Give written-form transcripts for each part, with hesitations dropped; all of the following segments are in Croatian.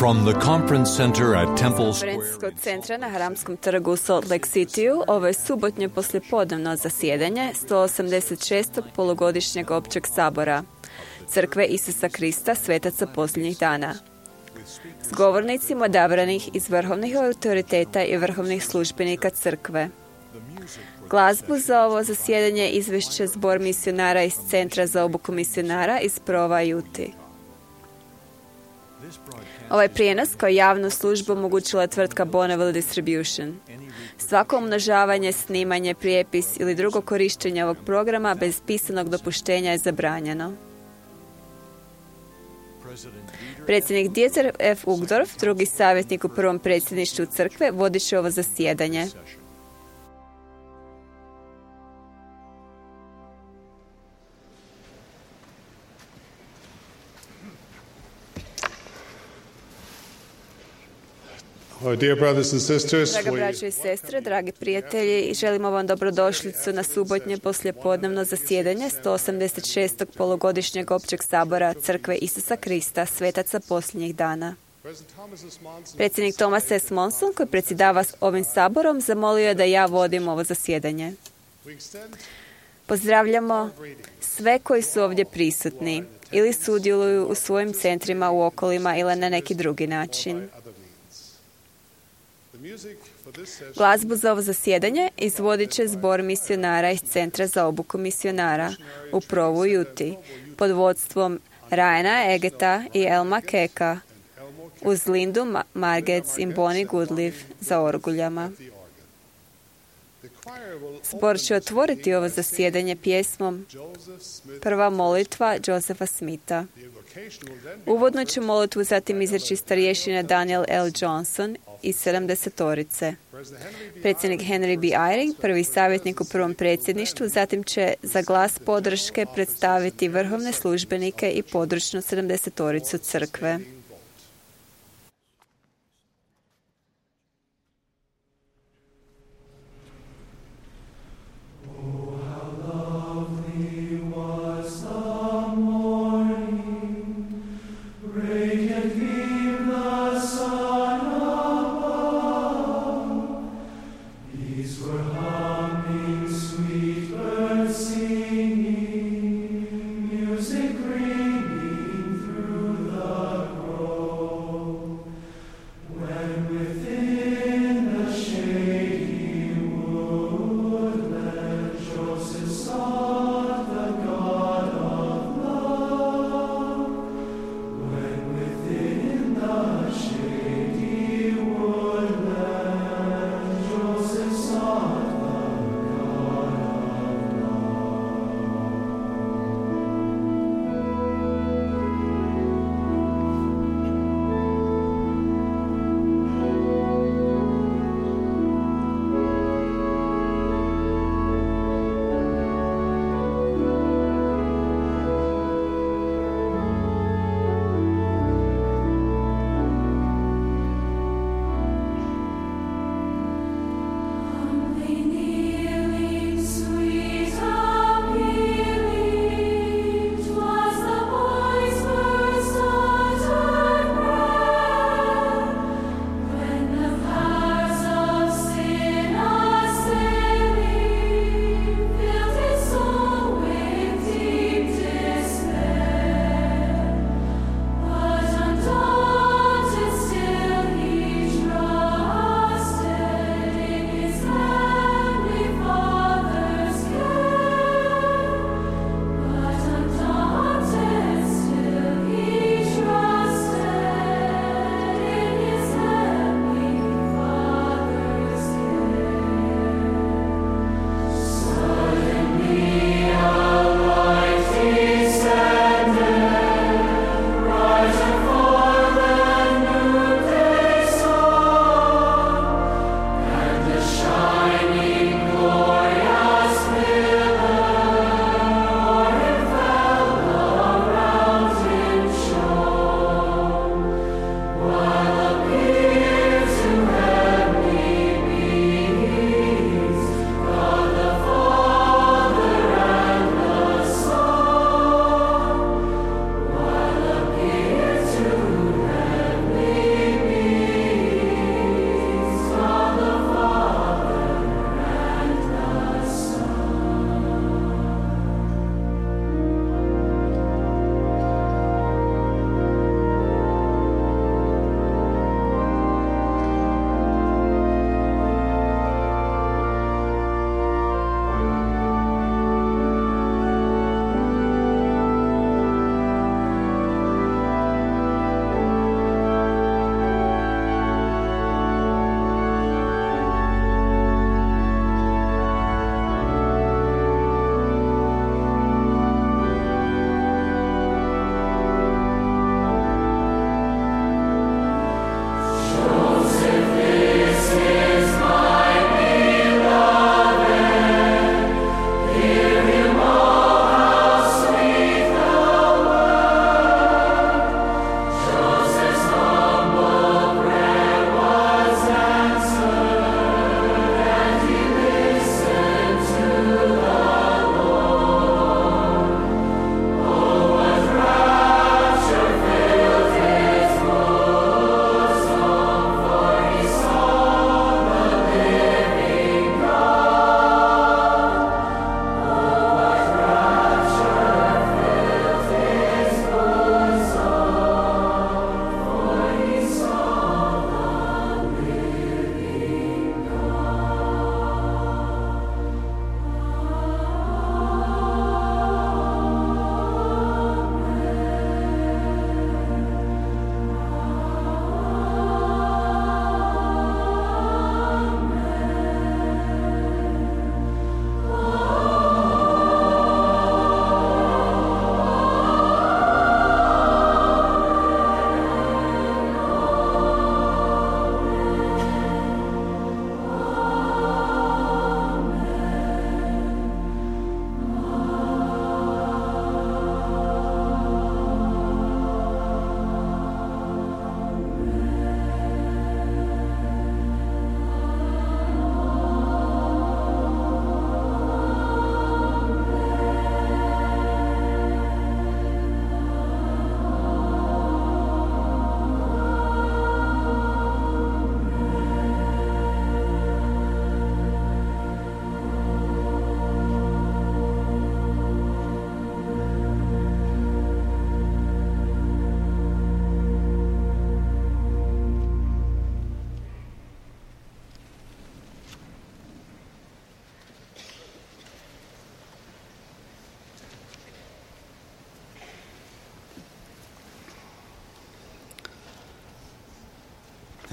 From the conference center at Temple Konferencijskog centra na Haramskom trgu u Salt Lake Cityu ovo je subotnje poslijepodnevno zasjedanje 186. polugodišnjeg općeg sabora Crkve Isusa Krista svetaca posljednjih dana. S govornicima odabranih iz vrhovnih autoriteta i vrhovnih službenika crkve. Glazbu za ovo zasjedanje izvešće zbor misionara iz Centra za obuku misionara iz Prova Juti. Ovaj prijenos kao javnu službu omogućila je tvrtka Bonneville Distribution. Svako umnožavanje, snimanje, prijepis ili drugo korištenje ovog programa bez pisanog dopuštenja je zabranjeno. Predsjednik Dieter F. Uchtdorf, drugi savjetnik u prvom predsjedništvu crkve, vodit će ovo zasjedanje. Draga braćo i sestre, dragi prijatelji, želimo vam dobrodošlicu na subotnje poslijepodnevno zasjedanje 186. polugodišnjeg općeg sabora Crkve Isusa Krista svetaca posljednjih dana. Predsjednik Thomas S. Monson, koji predsjedava ovim saborom, zamolio je da ja vodim ovo zasjedanje. Pozdravljamo sve koji su ovdje prisutni ili sudjeluju u svojim centrima u okolima ili na neki drugi način. Glazbu za ovo zasjedanje izvodit će zbor misionara iz Centra za obuku misionara u Provu Juti pod vodstvom Ryana Egeta i Elma Keka uz Lindu Margetts i Bonnie Goodliff za orguljama. Zbor će otvoriti ovo zasjedanje pjesmom Prva molitva Josepha Smitha. Uvodno će molitvu zatim izreći starješina Daniel L. Johnson iz 70-orice. Predsjednik Henry B. Eyring, prvi savjetnik u prvom predsjedništvu, zatim će za glas podrške predstaviti vrhovne službenike i područnu 70-oricu crkve. Music ringing through the grove.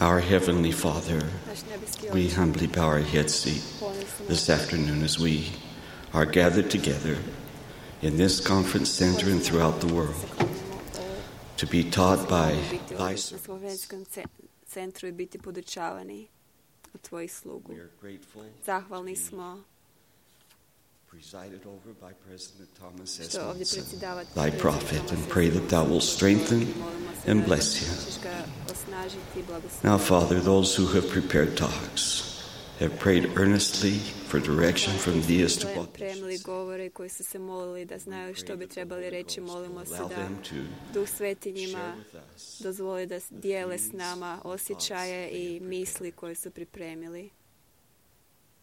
Our Heavenly Father, Naš nebeski we Oče, humbly bow our heads to this afternoon as we are gathered together in this conference center and throughout the world to be taught by thy na servants. slovenskom centru i biti podučavani od tvojih slugu. We are grateful Zahvalni smo presided over by President Thomas S. što ovdje Monson, predsjedavati thy prophet, and pray that thou wilt strengthen and bless him. Now, Father, those who have prepared talks have prayed earnestly for direction from thee as to what they should Pripremili say. govore koji su se molili da znaju što bi trebali reći. Molimo se Allow da them to Duh Sveti njima share with us dozvoli da dijele s nama osjećaje i misli koje su pripremili.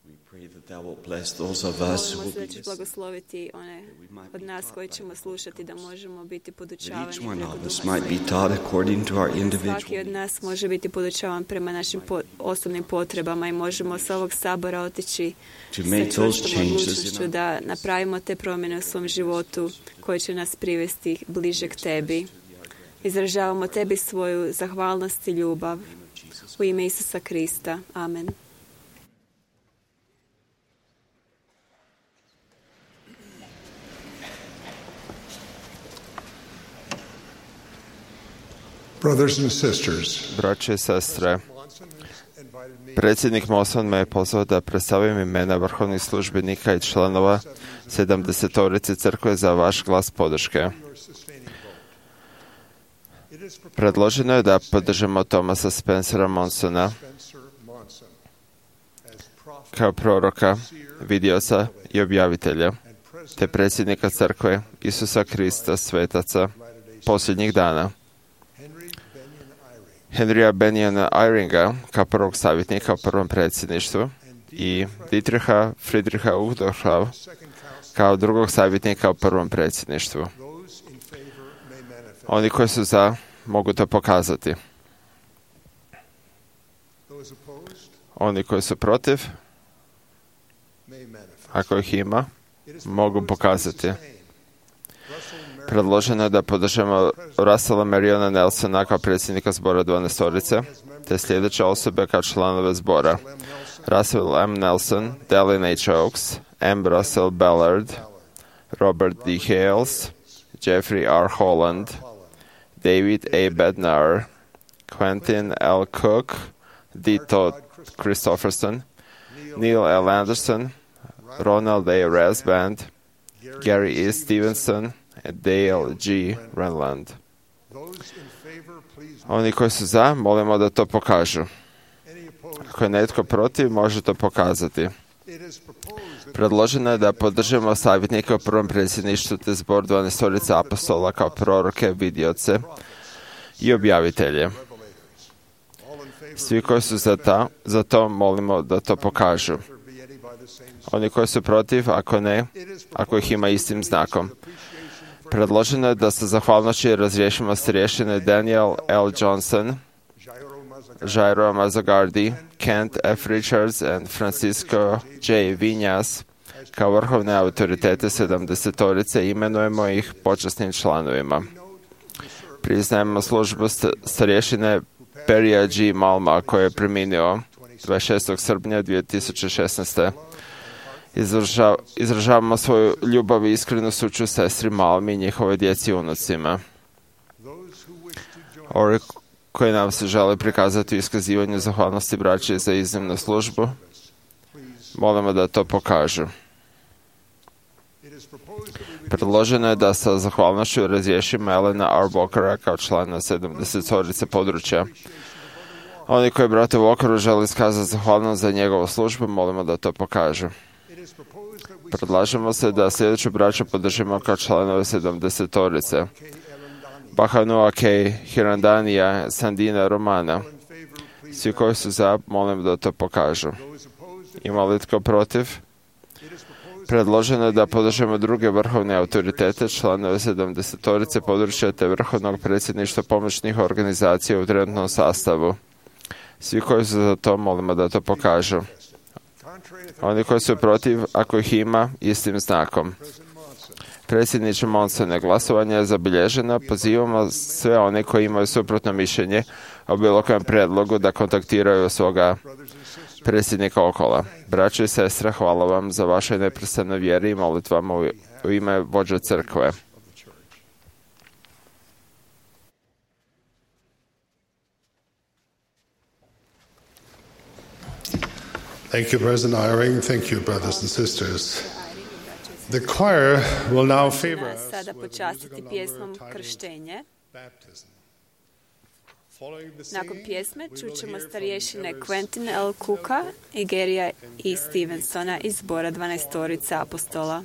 We pray that thou wilt bless those of us who Molimo will se be da ćeš listening, blagosloviti one od nas koji ćemo slušati, da možemo biti that podučavani each one preko of us Duha might be Svetog. taught according to our Svaki od individual nas može biti podučavan prema našim osobnim potrebama i možemo sa ovog sabora otići to sa make those čvrstom changes in odlučnošću our da napravimo te promjene u svom životu koje će nas privesti bliže k tebi. Izražavamo tebi svoju zahvalnost i ljubav u ime Isusa Krista. Amen. Brothers and sisters, Braće i sestre, predsjednik Monson me je pozvao da predstavim imena vrhovnih službenika i članova 70-torice crkve za vaš glas podrške. Predloženo je da podržimo Thomasa Spencera Monsona kao proroka, vidioca i objavitelja, te predsjednika crkve Isusa Krista svetaca posljednjih dana. Henrya Benjana Eyringa kao prvog savjetnika u prvom predsjedništvu i Dietricha Friedricha Uchtdorfa kao drugog savjetnika u prvom predsjedništvu. Oni koji su za mogu to pokazati. Oni koji su protiv, ako ih ima, mogu pokazati. Predloženo je da podržimo Russella Mariona Nelsona kao predsjednika zbora 12-torice, te sljedeće osobe kao članove zbora: Russell M. Nelson, Dallin H. Oaks, M. Russell Ballard, Robert D. Hales, Jeffrey R. Holland, David A. Bednar, Quentin L. Cook, D. Todd Christopherson, Neil L. Anderson, Ronald A. Rasband, Gary E. Stevenson, Dale G. Renland. Oni koji su za, molimo da to pokažu. Ako je netko protiv, može to pokazati. Predloženo je da podržimo savjetnike u prvom predsjedništvu te zbor 12-torice apostola kao proroke, vidioce i objavitelje. Svi koji su za to molimo da to pokažu. Oni koji su protiv, ako ne, ako ih ima istim znakom. Predloženo je da sa zahvalnošću razriješimo starješine Daniel L. Johnson, Jairo Mazzagardi, Kent F. Richards and Francisco J. Vinjas kao vrhovne autoritete 70-torice, imenujemo ih počasnim članovima. Priznajemo službu starješine Perija G. Malma koji je preminio 26. srpnja 2016. Izražavamo svoju ljubav i iskrenu sućut sestri Malmi i njihove djeci i unucima. Ovi koji nam se žele prikazati u iskazivanju zahvalnosti braće za iznimnu službu, molimo da to pokažu. Predloženo je da sa zahvalnošću razriješimo Elena R. Walkera kao člana 70-torice područja. Oni koji brate Walkeru žele iskazati zahvalnost za njegovu službu, molimo da to pokažu. Predlažemo se da sljedeću braću podržimo kao članove 70-torice: Bahanua K. Hirandanija, Sandina Romana. Svi koji su za, molim da to pokažu. Ima li tko protiv? Predloženo je da podržimo druge vrhovne autoritete, članove 70-torice područja te vrhovnog predsjedništva pomoćnih organizacija u trenutnom sastavu. Svi koji su za to, molimo da to pokažu. Oni koji su protiv, ako ih ima, istim znakom. Predsjedniče Monsone, glasovanje je zabilježeno. Pozivamo sve one koji imaju suprotno mišljenje o bilo kojem prijedlogu da kontaktiraju svoga predsjednika Okola. Braće i sestre, hvala vam za vaše neprestane vjeri i molitvama u ime vođe crkve. Thank you, President Eyring. Thank you, brothers and sisters. The choir will now favor us Sada with počastiti musical pjesmom number entitled Krštenje. Baptism. Following the Nakon singing, pjesme we will čućemo hear from starješine elders Quentin L. Cooka, Igerija i Stevensona iz zbora 12 apostola.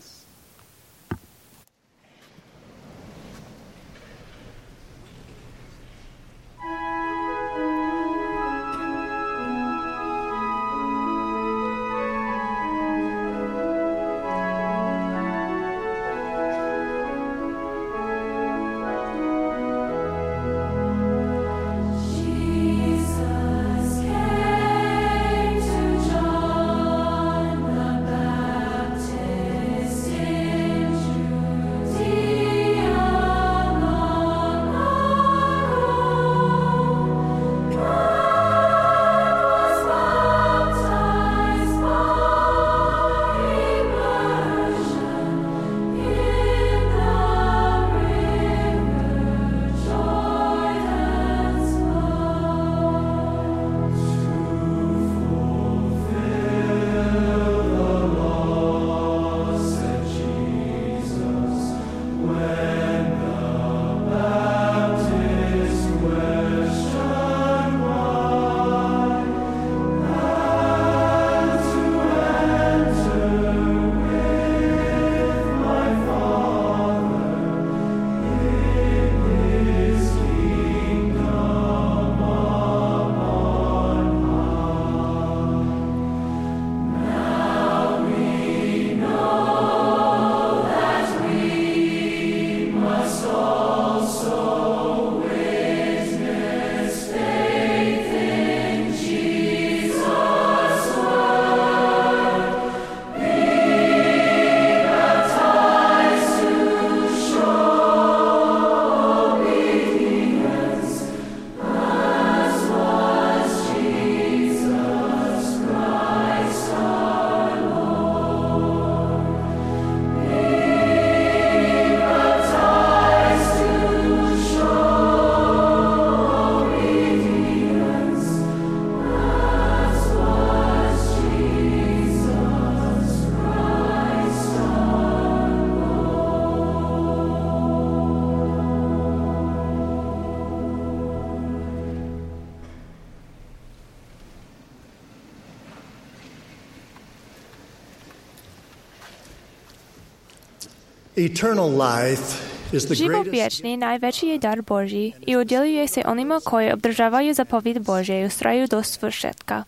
Život vječni najveći je dar Božji i udjeljuje se onima koji obdržavaju zapovjed Božje i ustraju do svršetka.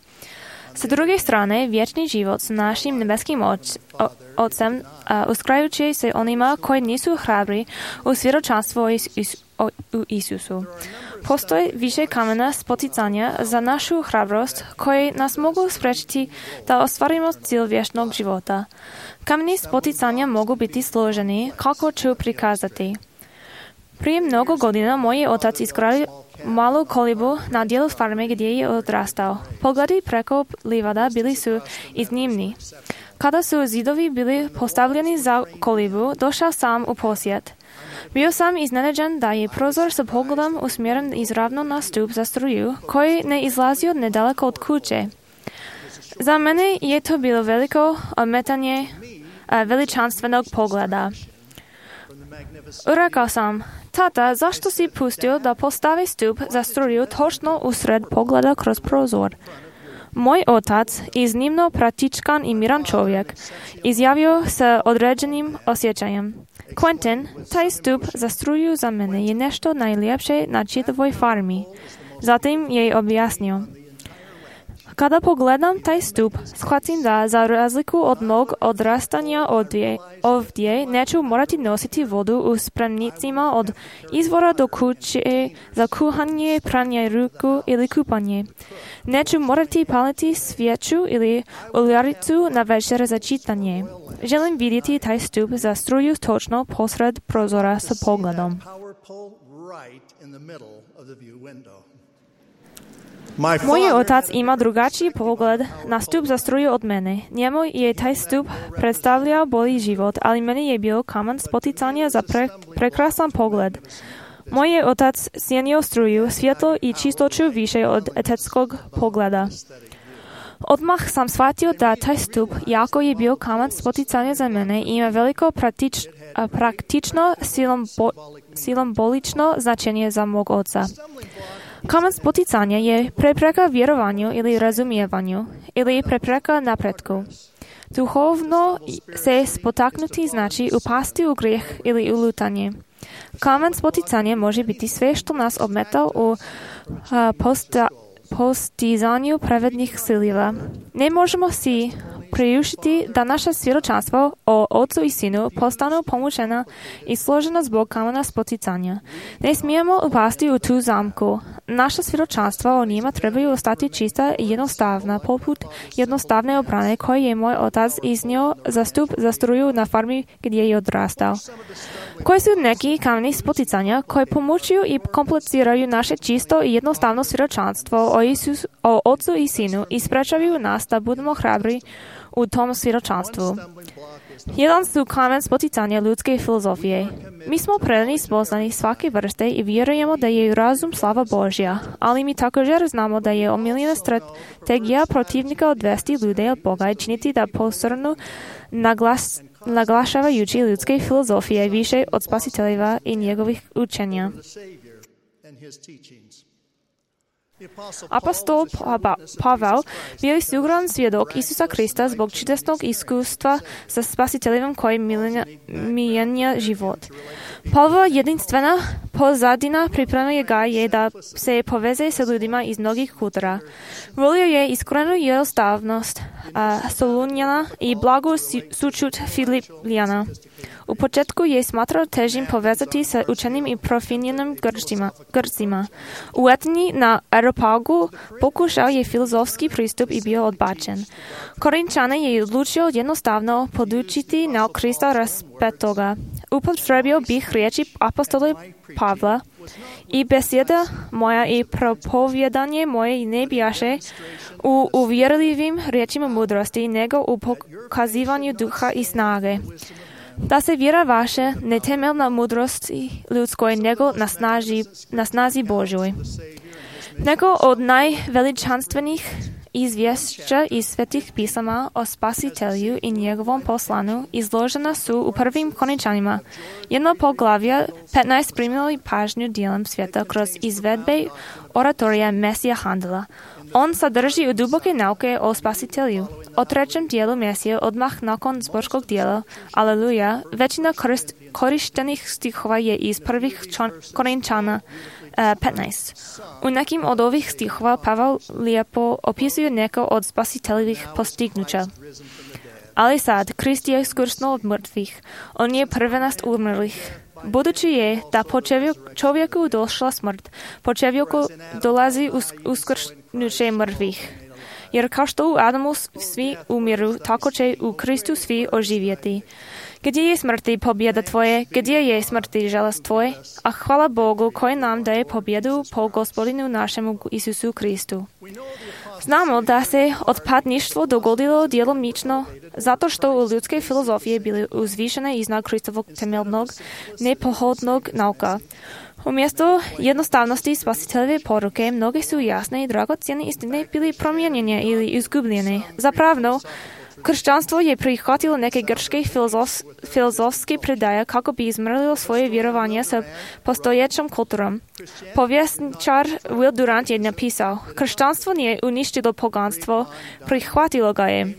Sa druge strane, vječni život s našim nebeskim Otcem uskrajuće se onima koji nisu hrabri u svjedočanstvo u Isusu. Postoji više kamena spoticanja za našu hrabrost koji nas mogu spriječiti da ostvarimo cilj vječnog života. Kameni spoticanja mogu biti složeni, kako ću prikazati. Prije mnogo godina moj otac izgradio malu kolibu na dijelu farme gdje je odrastao. Pogledi preko livada bili su iznimni. Kada su zidovi bili postavljeni za kolibu, došao sam u posjet. Bio sam iznenađen da je prozor sa pogledom usmjeren izravno na stup za struju, koji ne izlazio nedaleko od kuće. Za mene je to bilo veliko ometanje veličanstvenog pogleda. Rekao sam, tata, zašto si pustio da postavi stup za struju točno usred pogleda kroz prozor? Moj otac, iznimno praktičan i miran čovjek, izjavio sa određenim osjećajem. Quentin, taj stup za struju za mene je nešto najljepše na čitavoj farmi. Zatim je objasnio. Kada pogledam taj stup, shvatim da za razliku od mog odrastanja ovdje neću morati nositi vodu u spremnicima od izvora do kuće za kuhanje, pranje ruku ili kupanje. Neću morati paliti svijeću ili uljaricu na večer za čitanje. Želim vidjeti taj stup za struju točno posred prozora sa pogledom. Мой отец има другачий поглед на ступ за струju od mene. Njemu je taj stup predstavljao bolji život, ali meni je bio kamen spoticanja za prekrasan pogled. Moj je otac cijenio struju, svjetlo i čistoću više od etetskog pogleda. Odmah sam shvatio da taj stup, jako je bio kamen spoticanja za mene, ima veliko praktično simbolično značenje za mog oca. Kamen spoticanja je prepreka vjerovanju ili razumijevanju, ili prepreka napretku. Duhovno se spotaknuti znači upasti u grijeh ili u lutanje. Kamen spoticanja može biti sve što nas ometa u postizanju pravednih ciljeva. Ne možemo si priuštiti da naša svjedočanstva o Otcu i Sinu postanu pomučena i složena zbog kamena spoticanja. Ne smijemo upasti u tu zamku. Naša svjedočanstva o njima trebaju ostati čista i jednostavna, poput jednostavne obrane koje je moj otac iznio za stup za struju na farmi gdje je odrastao. Koji su neki kameni spoticanja koji pomučuju i kompliciraju naše čisto i jednostavno svjedočanstvo o Otcu i Sinu i sprečavaju nas da budemo hrabri u tom svjedočanstvu. Jedan su kamen spoticanja ljudske filozofije. Mi smo predani spoznani svake vrste i vjerujemo da je razum slava Božja, ali mi također znamo da je omiljena strategija protivnika odvesti ljude od Boga i činiti da posrnu naglašavajući ljudske filozofije više od Spasiteljeva i njegovih učenja. Apostol Pavel bio je siguran svjedok Isusa Krista zbog čudesnog iskustva sa Spasiteljem koji mijenja život. Pavlova jedinstvena pozadina pripremuje ga je da se poveze sa ljudima iz mnogih kultura. Volio je iskrenu jednostavnost Solunjana i blagu sućut Filipljana. U početku je smatrao težim povezati sa učenim i profinjenim Grcima. U Atheni na Areopagu pokušao je filozofski pristup i bio odbačen. Korinčane je odlučio jednostavno podučiti na Krista raspetoga. Upotrebio bih riječi apostola Pavla i besjeda moja i propovjedanje moje ne bijaše u uvjerljivim riječima mudrosti, nego u pokazivanju duha i snage. Da se vjera vaše ne temelj na mudrosti ljudskoj, nego na snazi Božjoj. Neko od najveličanstvenih izvješća iz svetih pisama o Spasitelju i njegovom poslanu izložena su u prvim Korinčanima. Jedno poglavlje 15 primili pažnju dijelom svijeta kroz izvedbe oratorija Mesija Handela. On sadrži u duboke nauke o Spasitelju. O trećem dijelu Mesije odmah nakon zborskog dijela Aleluja, većina korištenih stihova je iz prvih Korinčana 15. U nekim od ovih stihova Pavel lijepo opisuje neko od Spasiteljevih postignuća. Ali sad, Krist je uskrsnuo od mrtvih. On je prvenac umrlih. Budući je da po čovjeku došla smrt, po čovjeku dolazi uskrsnuće mrtvih. Jer kao što u Adamu svi umiru, tako će u Kristu svi oživjeti. Gdje je smrti pobjeda tvoje? Gdje je smrti žalost tvoje? A hvala Bogu koji nam daje pobjedu po Gospodinu našemu Isusu Kristu. Znamo da se otpadništvo dogodilo djelomično zato što u ljudske filozofije bili uzvišene iznad Kristovog temeljnog, nepohodnog nauka. Umjesto jednostavnosti Spasiteljeve poruke, mnoge su jasne i dragocjene istine bili promijenjene ili izgubljene. Zapravo, kršćanstvo je prihvatilo neke grčke filozofske predaje kako bi izmrlilo svoje vjerovanje sa postojećom kulturom. Povjesničar Will Durant je napisao: kršćanstvo nije uništilo poganstvo, prihvatilo ga je.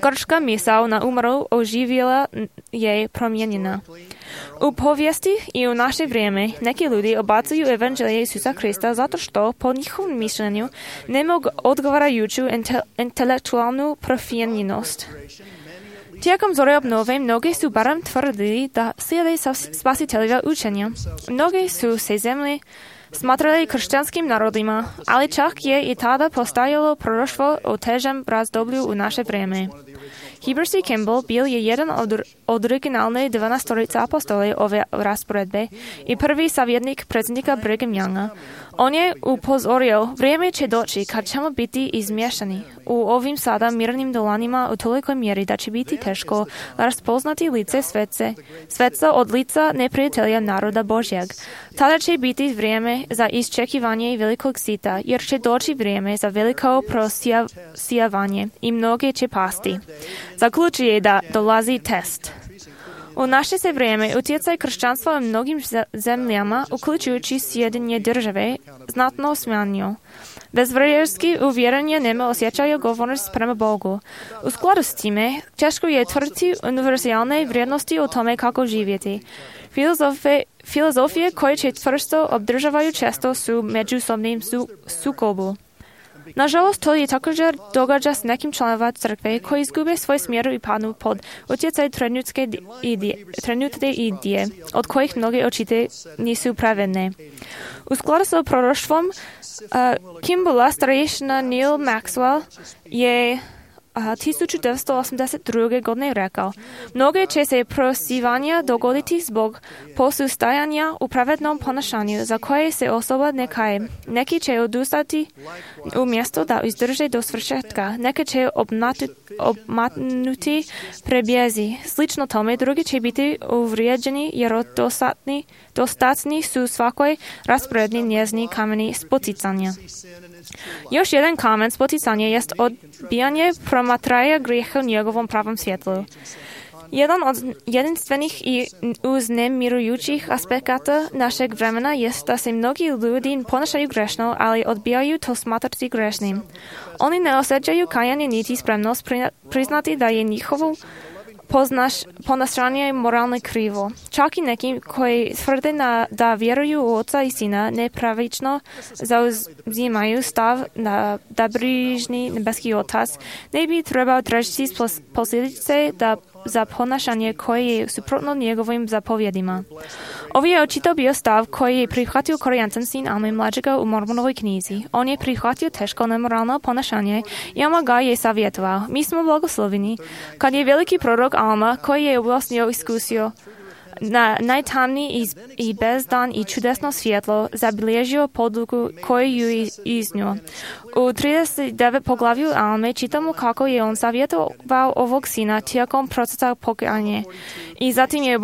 Grčka misao na umru oživjela je promijenjena. U povijesti i u naše vrijeme neki ljudi odbacuju evanđelje Isusa Krista zato što, po njihovom mišljenju, nemaju odgovarajuću intelektualnu profinjenost. Tijekom zore obnove mnogi su barem tvrdili da slijede Spasiteljeva učenja. Mnogi su se zemlje smatrali kršćanskim narodima, ali čak je i tada postajalo proroštvo o težem razdoblju u naše vrijeme. Heber C. Kimball byl jeden od originálnej 12 apostolov ove rasporedbe i prvý saviednik predsjednika Brigham Younga. On je upozoril, vrijeme će doći kad ćemo biti izmješani u ovim sada mirnim dolanima u tolikoj mjeri da će biti teško raspoznati lice sveca od lica neprijatelja naroda Božjeg. Tada će biti vrijeme za iščekivanje velikog sita, jer će doći vrijeme za veliko prosijavanje i mnoge će pasti. Zaključuje da dolazi test. U naše se vrijeme utjecaj kršćanstva u mnogim zemljama, uključujući Sjedinjene države, znatno smanjio. Bezvrijedski uvjerenje nema osjećaju govornost prema Bogu. U skladu s time, teško je tvrditi univerzalne vrijednosti o tome kako živjeti. Filozofije koje će tvrsto obdržavaju često su međusobnim sukobu. Nažalost, to je također događa s nekim članova crkve koji izgube svoj smjer i padnu pod utjecaj trenutne idije, od kojih mnoge očite nisu pravedne. U skladu s proroštvom Kimballa starešina Neil Maxwell je 1982. godine rekao: mnoge će se prosivanja dogoditi zbog posustajanja u pravednom ponašanju za koje se osoba ne kaje. Neki će odustati umjesto da izdrže do svršetka. Neki će obmatnuti prebjezi. Slično tome, drugi će biti uvrijeđeni jer dostatni su svakoj rasporedni njezni kameni spoticanja. Još jedan kamen spoticanja jest odbijanje promatraja grijeha u njegovom pravom svjetlu. Jedan od jedinstvenih i uznemirujućih aspekata našeg vremena jest da se mnogi ljudi ponašaju grešno, ali odbijaju to smatrati grešnim. Oni ne osjećaju kajanje niti spremnost priznati da je njihovo ponašanje moralno krivo. Čak i neki koji tvrde da vjeruju u Oca i Sina nepravično zauzimaju stav da brižni nebeski Otac ne bi trebao tražiti posljedice za ponašanje koje je suprotno njegovim zapovjedima. Ovo je očito bio stav koji je prihvatio Korijantan sin Alme mlađega u Mormonovoj knjizi. On je prihvatio teško nemoralno ponašanje i Alma ga je savjetovao. Mi smo blagosloveni kad je veliki prorok Alma, koji je objasnio iskusio na najtamniji i bezdan i čudesno svjetlo, zabilježio poduku koju ju iznio. U 39 poglavlju Alme čitamo kako je on savjetovao ovog sina tijekom procesa pokajanja i zatim je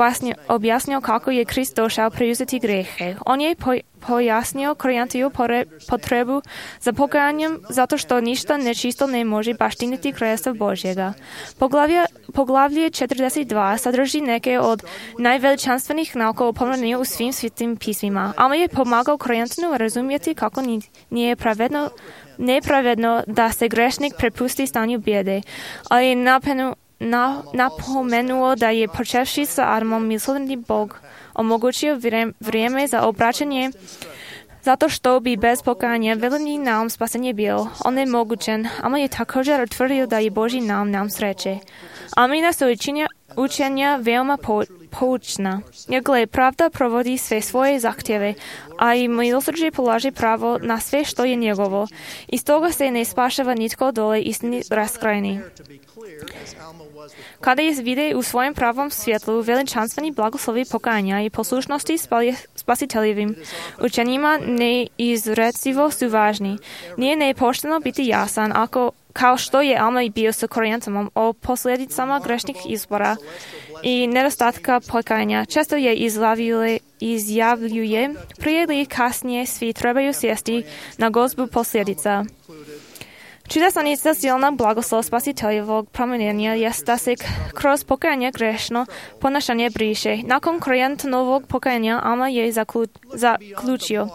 objasnio kako je Krist došao preuzeti grijehe. On je pojasnio Korijantiju potrebu za pokajanjem zato što ništa nečisto ne može baštiniti kraljestva Božjega. Poglavlje 42 sadrži neke od najveličanstvenih nauka o pomirenju u svim svetim pismima. Alma je pomagao Korijantinu razumjeti kako nije nepravedno da se grešnik prepusti stanju bijede, ali je napomenuo da je počevši sa Adamom milosrdni Bog omogućio vrijeme za obraćanje zato što bi bez pokajanja veliki naum spasenje bio onemogućen. Alma je također utvrdio da je Božji naum sreće. Almina su učenja veoma poučna. Jer gle, pravda provodi sve svoje zahtjeve, a i milosrđe polaže pravo na sve što je njegovo. I stoga se ne spašava nitko dole istini raskrajni. Kada je vide u svojem pravom svjetlu veličanstveni blagoslovi pokajanja i poslušnosti spasiteljevim učenjima neizrecivo su važni. Nije nepošteno biti jasan kao što je Alma i bio sa Korijantanom o posljedicama grešnih izbora i nedostatka pokajanja. Često je izjavljuje prije ili kasnije svi trebaju sjesti na gozbu posljedica. Čudesan i silna blagoslov spasiteljevog promijenja jest da se kroz pokajanje grešno ponašanje briše. Nakon Korijantanovog pokajanja Alma je zaključio: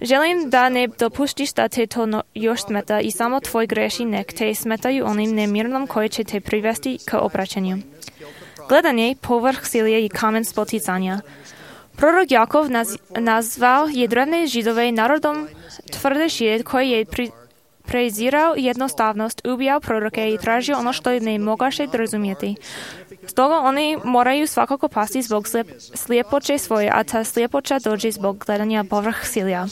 želim da ne dopuštiš da te to još smeta i samo tvoj greši nek te smetaju onim nemirnom koji će te privesti k obraćanju. Gledanje povrh silje i kamen spoticanja. Prorok Jakov nazvao je drevne Židove narodom tvrdeši koji je prezirao jednostavnost, ubijao proroke i tražio ono što ne mogaše razumjeti. Stoga oni moraju svakako pasti zbog sljepoće svoje, a ta sljepoća dođe zbog gledanja povrh silja.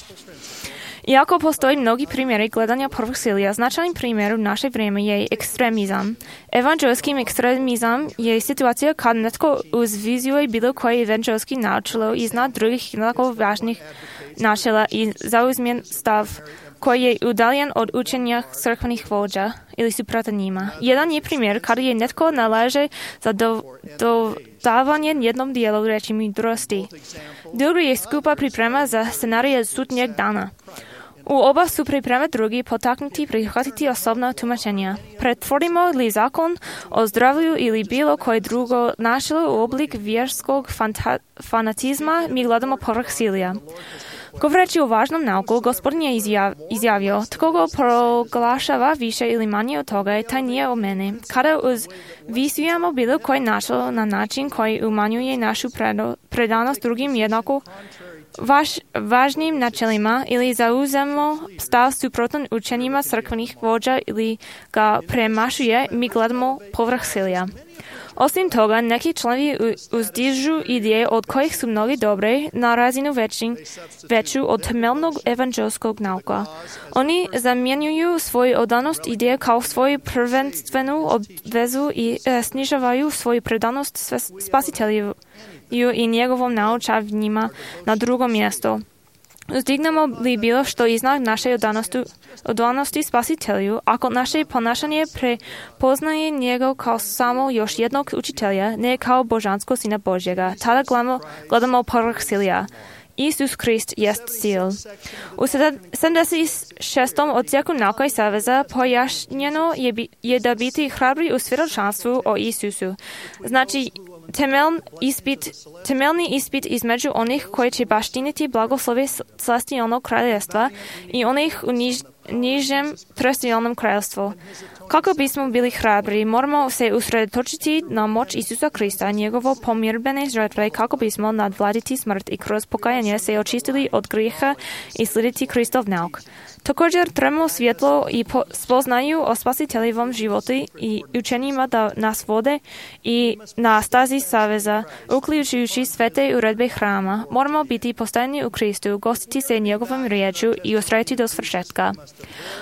Iako postoji mnogi primjeri gledanja prvog silija, značajnim primjer u naše vrijeme je ekstremizam. Evanđelski ekstremizam je situacija kad netko uzvizuje bilo koje evanđelski načelo iznad drugih jednako važnih načela i zauzme stav koji je udaljen od učenja crkvenih vođa ili suprotno njima. Jedan je primjer kada je netko nalaže za dodavanje jednom dijelu reči mudrosti. Drugi je skupa priprema za scenarije sudnjeg dana. U oba su pripreme drugi potaknuti prihvatiti osobna tumačenja. Pretvorimo li zakon o zdravlju ili bilo koje drugo načelo u oblik vjerskog fanatizma, mi gledamo povrh silija. Govoreći o važnom nauku, Gospodin je izjavio, tko go proglašava više ili manje od toga, taj nije o mene. Kada uzvisujemo bilo koje načelo na način koji umanjuje našu predanost drugim jednako važnim načelima ili zauzemo stav suprotan učenjima crkvenih vođa ili ga premašuje, mi gledamo povrh silija. Osim toga, neki članovi uzdižu ideje od kojih su mnogi dobre na razinu veću od temeljnog evanđelskog nauka. Oni zamjenjuju svoju odanost ideje kao svoju prvenstvenu obvezu i snižavaju svoju predanost spasitelju i njegovom naučavanjima na drugo mjesto. Uzdignemo li bilo što iznad naše odanosti spasitelju, ako naše ponašanje prepoznaje njega kao samo još jednog učitelja, ne kao božanskog sina Božjega, tada gledamo povrh silija. Isus Krist jest sil. U 76. odsjeku nauka i saveza pojašnjeno je da biti hrabri u svjedočanstvu o Isusu. Znači, temeljni ispit između onih koji će baštiniti blagoslove celestijalnog kraljevstva i onih u nižem terestijalnom kraljevstvu. Kako bismo bili hrabri, moramo se usredotočiti na moć Isusa Krista, njegovo pomirbene žrtve, kako bismo nadvladiti smrt i kroz pokajanje se očistili od grijeha i slijediti Kristov nauk. Također trebamo svjetlo i spoznaju o spasiteljevom životu i učenjima da nas vode i na stazi saveza, uključujući svete uredbe hrama. Moramo biti postajeni u Kristu, gostiti se njegovom riječu i ustrajati do svršetka.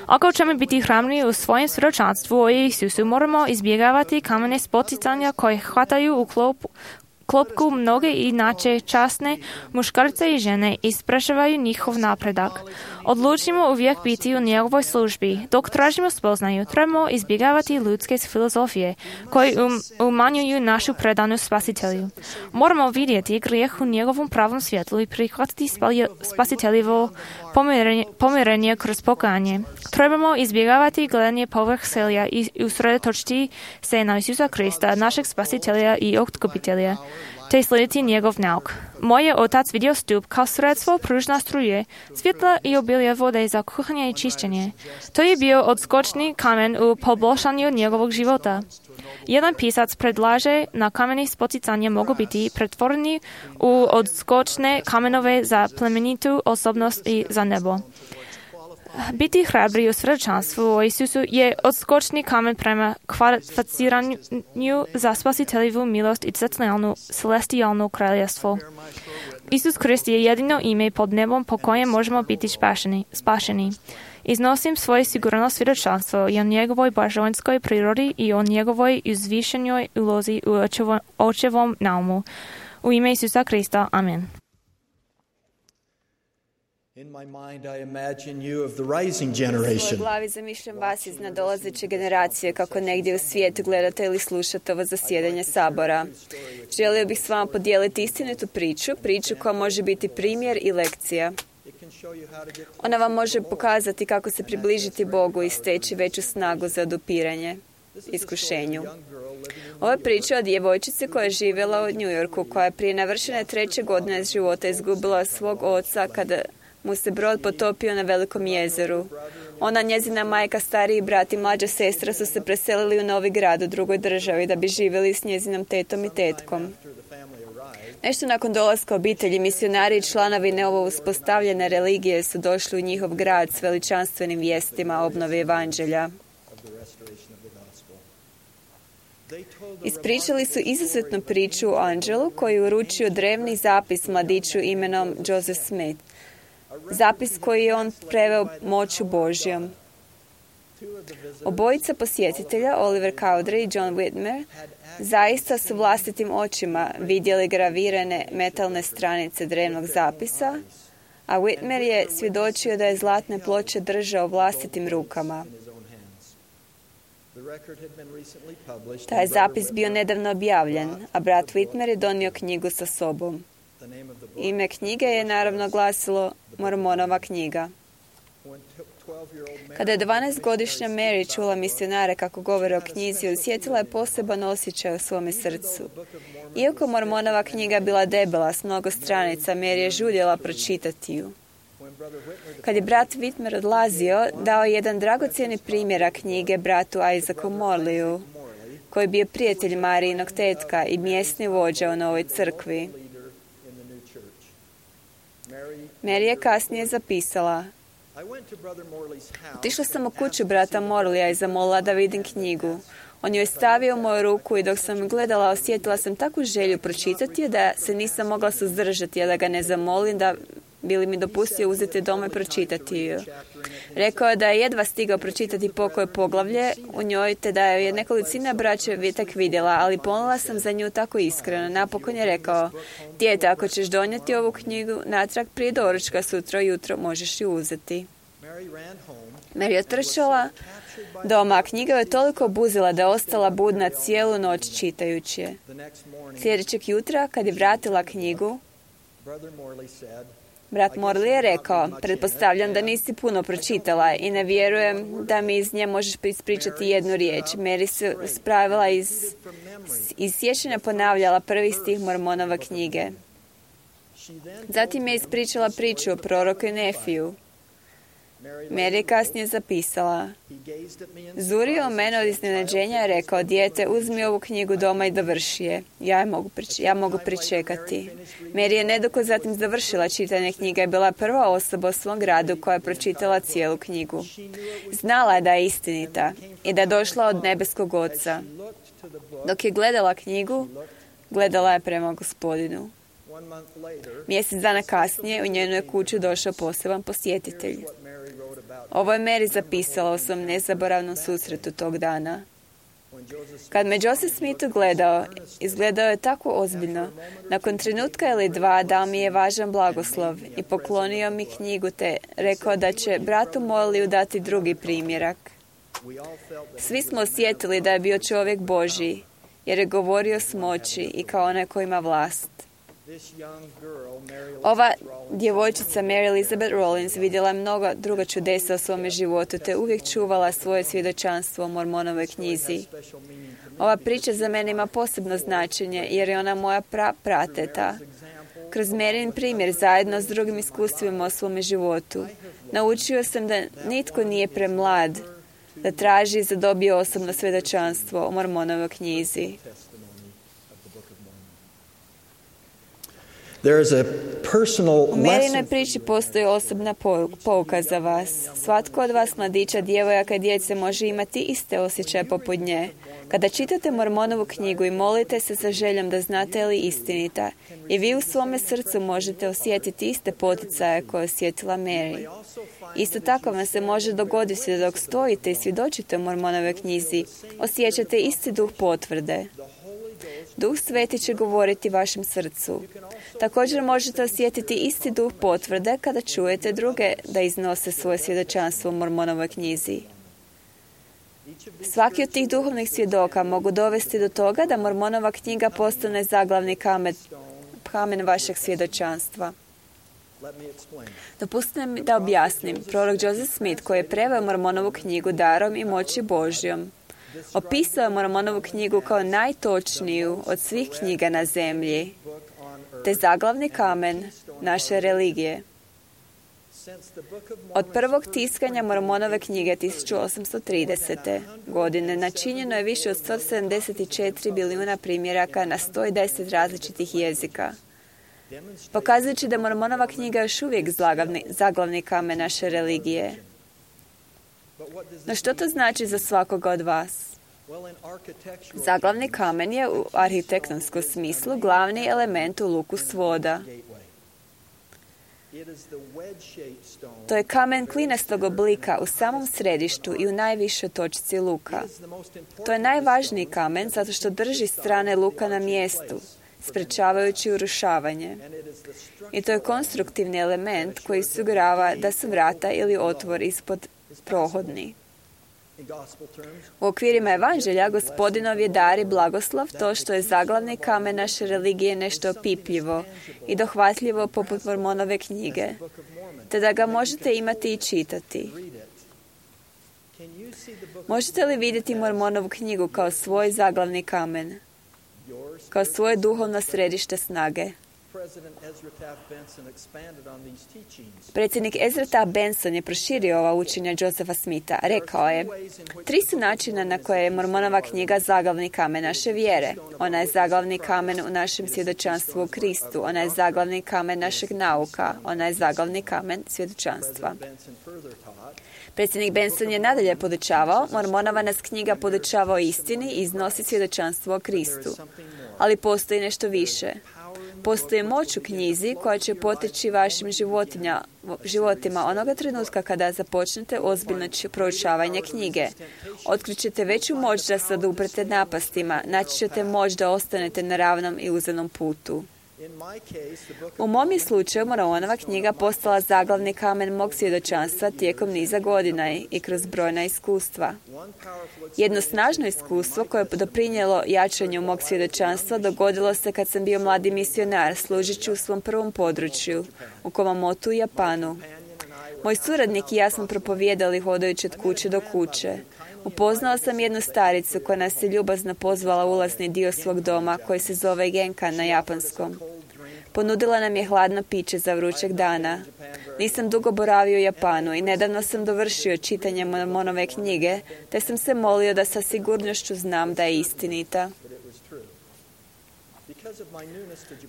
Ako ćemo biti hrabri u svojem svjedočanstvu o Isusu, moramo izbjegavati kamene spoticanja koje hvataju u klopku mnoge inače časne muškarce i žene i sprečavaju njihov napredak. Odlučimo uvijek biti u njegovoj službi. Dok tražimo spoznaju, trebamo izbjegavati ljudske filozofije koji umanjuju našu predanost spasitelju. Moramo vidjeti grijeh u njegovom pravom svjetlu i prihvatiti spasiteljevo pomirenje kroz pokajanje. Trebamo izbjegavati gledanje povrh silija i usredotočiti se na Isusa Krista, našeg spasitelja i otkupitelja, te slijediti njegov nauk. Moj je otac vidio stup kao sredstvo pružna struje, svjetla i obilje vode za kuhanje i čišćenje. To je bio odskočni kamen u poboljšanju njegovog života. Jedan pisac predlaže na kameni spoticanje mogu biti pretvoreni u odskočne kamenove za plemenitu osobnost i za nebo. Biti hrabri u svjedočanstvu o Isusu je odskočni kamen prema kvalificiranju za spasiteljevu milost i celestijalno kraljevstvo. Isus Krist je jedino ime pod nebom po kojem možemo biti spašeni. Iznosim svoje sigurno svjedočanstvo i o njegovoj božanskoj prirodi i o njegovoj uzvišenoj ulozi u očevom naumu. U ime Isusa Krista. Amen. In my mind, I imagine you of the rising generation. U svojoj glavi zamišljam vas iz nadolazeće generacije kako negdje u svijetu gledate ili slušate ovo zasjedanje sabora. Želio bih s vama podijeliti istinitu priču koja može biti primjer i lekcija. Ona vam može pokazati kako se približiti Bogu i steći veću snagu za odupiranje iskušenju. Ova je priča o djevojčici koja je živjela u New Yorku, koja je prije navršene 3. godine života izgubila svog oca kada mu se brod potopio na velikom jezeru. Ona, njezina majka, stariji brat i mlađa sestra su se preselili u novi grad u drugoj državi da bi živjeli s njezinom tetom i tetkom. Nešto nakon dolaska obitelji, misionari i članovi novo uspostavljene religije su došli u njihov grad s veličanstvenim vijestima obnove evanđelja. Ispričali su izuzetnu priču o anđelu koji je uručio drevni zapis mladiću imenom Joseph Smith. zapis koji je on preveo moću Božjom. Obojica posjetitelja, Oliver Cowdery i John Whitmer, zaista su vlastitim očima vidjeli gravirane metalne stranice drevnog zapisa, a Whitmer je svjedočio da je zlatne ploče držao vlastitim rukama. Taj je zapis bio nedavno objavljen, a brat Whitmer je donio knjigu sa sobom. Ime knjige je naravno glasilo Mormonova knjiga. Kada je 12-godišnja Mary čula misionare kako govore o knjizi, osjetila je poseban osjećaj u svome srcu. Iako Mormonova knjiga bila debela s mnogo stranica, Mary je žuljela pročitati ju. Kad je brat Whitmer odlazio, dao je jedan dragocjeni primjerak knjige bratu Isaacu Morleyu, koji je bio prijatelj Marijinog tetka i mjesni vođa u novoj crkvi. Mary je kasnije zapisala: otišla sam u kuću brata Morleya i zamolila da vidim knjigu. On ju je stavio u moju ruku i dok sam gledala, osjetila sam takvu želju pročitati je da se nisam mogla suzdržati, a da ga ne zamolim da bi li mi dopustio uzeti doma i pročitati ju. Rekao je da je jedva stigao pročitati pokoje poglavlje u njoj, te da je nekolicina braće tek vidjela, ali ponula sam za nju tako iskreno. Napokon je rekao: dijete, ako ćeš donijeti ovu knjigu natrag prije doručka sutra jutro, možeš ju uzeti. Mary je otrčala doma, a knjiga je toliko obuzila da je ostala budna cijelu noć čitajući je. Sljedećeg jutra, kad je vratila knjigu, brat Morley je rekao: pretpostavljam da nisi puno pročitala i ne vjerujem da mi iz nje možeš ispričati jednu riječ. Mary se spravila iz sjećanja ponavljala prvi stih Mormonove knjige. Zatim je ispričala priču o proroku Nefiju. Mary je kasnije zapisala: zurio mene od iznenađenja i rekao: dijete, uzmi ovu knjigu doma i dovrši je. Ja mogu pričekati. Mary je nedugo zatim završila čitanje knjige i bila prva osoba u svom gradu koja je pročitala cijelu knjigu. Znala je da je istinita i da je došla od nebeskog Oca. Dok je gledala knjigu, gledala je prema Gospodinu. Mjesec dana kasnije u njenu je kuću došao poseban posjetitelj. Ovo je Mary zapisala o svom nezaboravnom susretu tog dana. Kad me Joseph Smith gledao, izgledao je tako ozbiljno. Nakon trenutka ili dva dao mi je važan blagoslov i poklonio mi knjigu te rekao da će bratu Morleyu dati drugi primjerak. Svi smo osjetili da je bio čovjek Božji, jer je govorio s moći i kao onaj koji ima vlast. Ova djevojčica Mary Elizabeth Rollins vidjela je mnoga druga čudesa u svome životu, te uvijek čuvala svoje svjedočanstvo o Mormonovoj knjizi. Ova priča za mene ima posebno značenje, jer je ona moja prateta. Kroz Maryn primjer, zajedno s drugim iskustvima o svome životu, naučio sam da nitko nije premlad da traži i zadobije osobno svjedočanstvo o Mormonovoj knjizi. U Marynoj priči postoji osobna pouka za vas. Svatko od vas, mladića, djevojaka i djece, može imati iste osjećaje poput nje. Kada čitate Mormonovu knjigu i molite se sa željom da znate li istinita, i vi u svome srcu možete osjetiti iste poticaje koje je osjetila Mary. Isto tako vam se može dogoditi da dok stojite i svjedočite o Mormonovoj knjizi, osjećate isti duh potvrde. Duh Sveti će govoriti vašem srcu. Također možete osjetiti isti duh potvrde kada čujete druge da iznose svoje svjedočanstvo u Mormonovoj knjizi. Svaki od tih duhovnih svjedoka mogu dovesti do toga da Mormonova knjiga postane zaglavni kamen vašeg svjedočanstva. Dopustite mi da objasnim. Prorok Joseph Smith, koji je preveo Mormonovu knjigu darom i moći Božjom, opisao je Mormonovu knjigu kao najtočniju od svih knjiga na zemlji, te zaglavni kamen naše religije. Od prvog tiskanja Mormonove knjige 1830. godine načinjeno je više od 174 bilijuna primjeraka na 110 različitih jezika. Pokazujući da Mormonova knjiga još uvijek zaglavni kamen naše religije. No što to znači za svakoga od vas? Zaglavni kamen je u arhitektonskom smislu glavni element u luku svoda. To je kamen klinastog oblika u samom središtu i u najvišoj točci luka. To je najvažniji kamen zato što drži strane luka na mjestu, sprečavajući urušavanje. I to je konstruktivni element koji osigurava da su vrata ili otvor ispod prohodni. U okvirima evanđelja Gospodinov je dar i blagoslov to što je zaglavni kamen naše religije nešto opipljivo i dohvatljivo poput Mormonove knjige, te da ga možete imati i čitati. Možete li vidjeti Mormonovu knjigu kao svoj zaglavni kamen, kao svoje duhovno središte snage? Predsjednik Ezra Taft Benson je proširio ova učenja Josepha Smitha. Rekao je, 3 su načina na koje je Mormonova knjiga zaglavni kamen naše vjere. Ona je zaglavni kamen u našem svjedočanstvu u Kristu. Ona je zaglavni kamen našeg nauka. Ona je zaglavni kamen svjedočanstva. Predsjednik Benson je nadalje podučavao, Mormonova nas knjiga podučava o istini i iznosi svjedočanstvo o Kristu. Ali postoji nešto više. Postoji moć u knjizi koja će poteći vašim životima onoga trenutka kada započnete ozbiljno proučavanje knjige. Otkrićete veću moć da se oduprete napastima, naći ćete moć da ostanete na ravnom i uzanom putu. U mom je slučaju Mormonova knjiga postala zaglavni kamen mog svjedočanstva tijekom niza godina i kroz brojna iskustva. Jedno snažno iskustvo koje je doprinijelo jačanju mog svjedočanstva dogodilo se kad sam bio mladi misionar služeći u svom prvom području, u Kumamotu, Japanu. Moj suradnik i ja smo propovijedali hodajući od kuće do kuće. Upoznao sam jednu staricu koja nas je ljubazno pozvala u ulazni dio svog doma koji se zove Genkan na japanskom. Ponudila nam je hladno piće za vrućeg dana. Nisam dugo boravio u Japanu i nedavno sam dovršio čitanje Mormonove knjige, te sam se molio da sa sigurnošću znam da je istinita.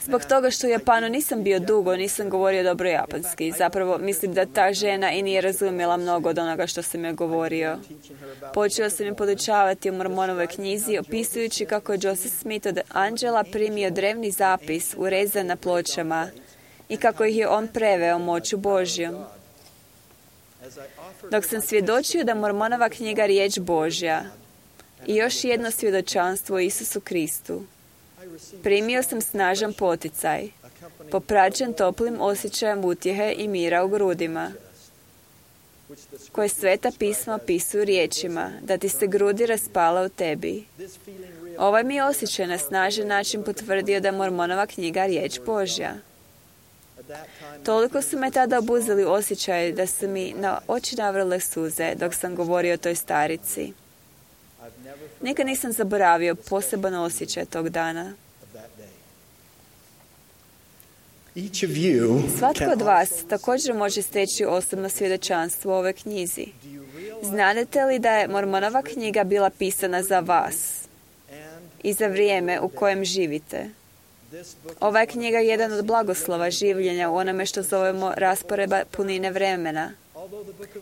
Zbog toga što u Japanu nisam bio dugo, nisam govorio dobro japanski. Zapravo, mislim da ta žena i nije razumjela mnogo od onoga što sam joj govorio. Počeo sam je podučavati u Mormonovoj knjizi, opisujući kako je Joseph Smith od anđela primio drevni zapis urezan na pločama i kako ih je on preveo moću Božjom. Dok sam svjedočio da Mormonova knjiga riječ Božja i još jedno svjedočanstvo o Isusu Kristu, primio sam snažan poticaj, popraćen toplim osjećajem utjehe i mira u grudima, koje Sveta pisma opisuju riječima, da ti se grudi raspala u tebi. Ovaj mi je osjećaj na snažan način potvrdio da Mormonova knjiga riječ Božja. Toliko su me tada obuzeli osjećaj da su mi na oči navrle suze dok sam govorio o toj starici. Nikad nisam zaboravio poseban osjećaj tog dana. Svatko od vas također može steći osobno svjedočanstvo o ovoj knjizi. Znate li da je Mormonova knjiga bila pisana za vas i za vrijeme u kojem živite? Ova je knjiga jedan od blagoslova življenja u onome što zovemo rasporeda punine vremena.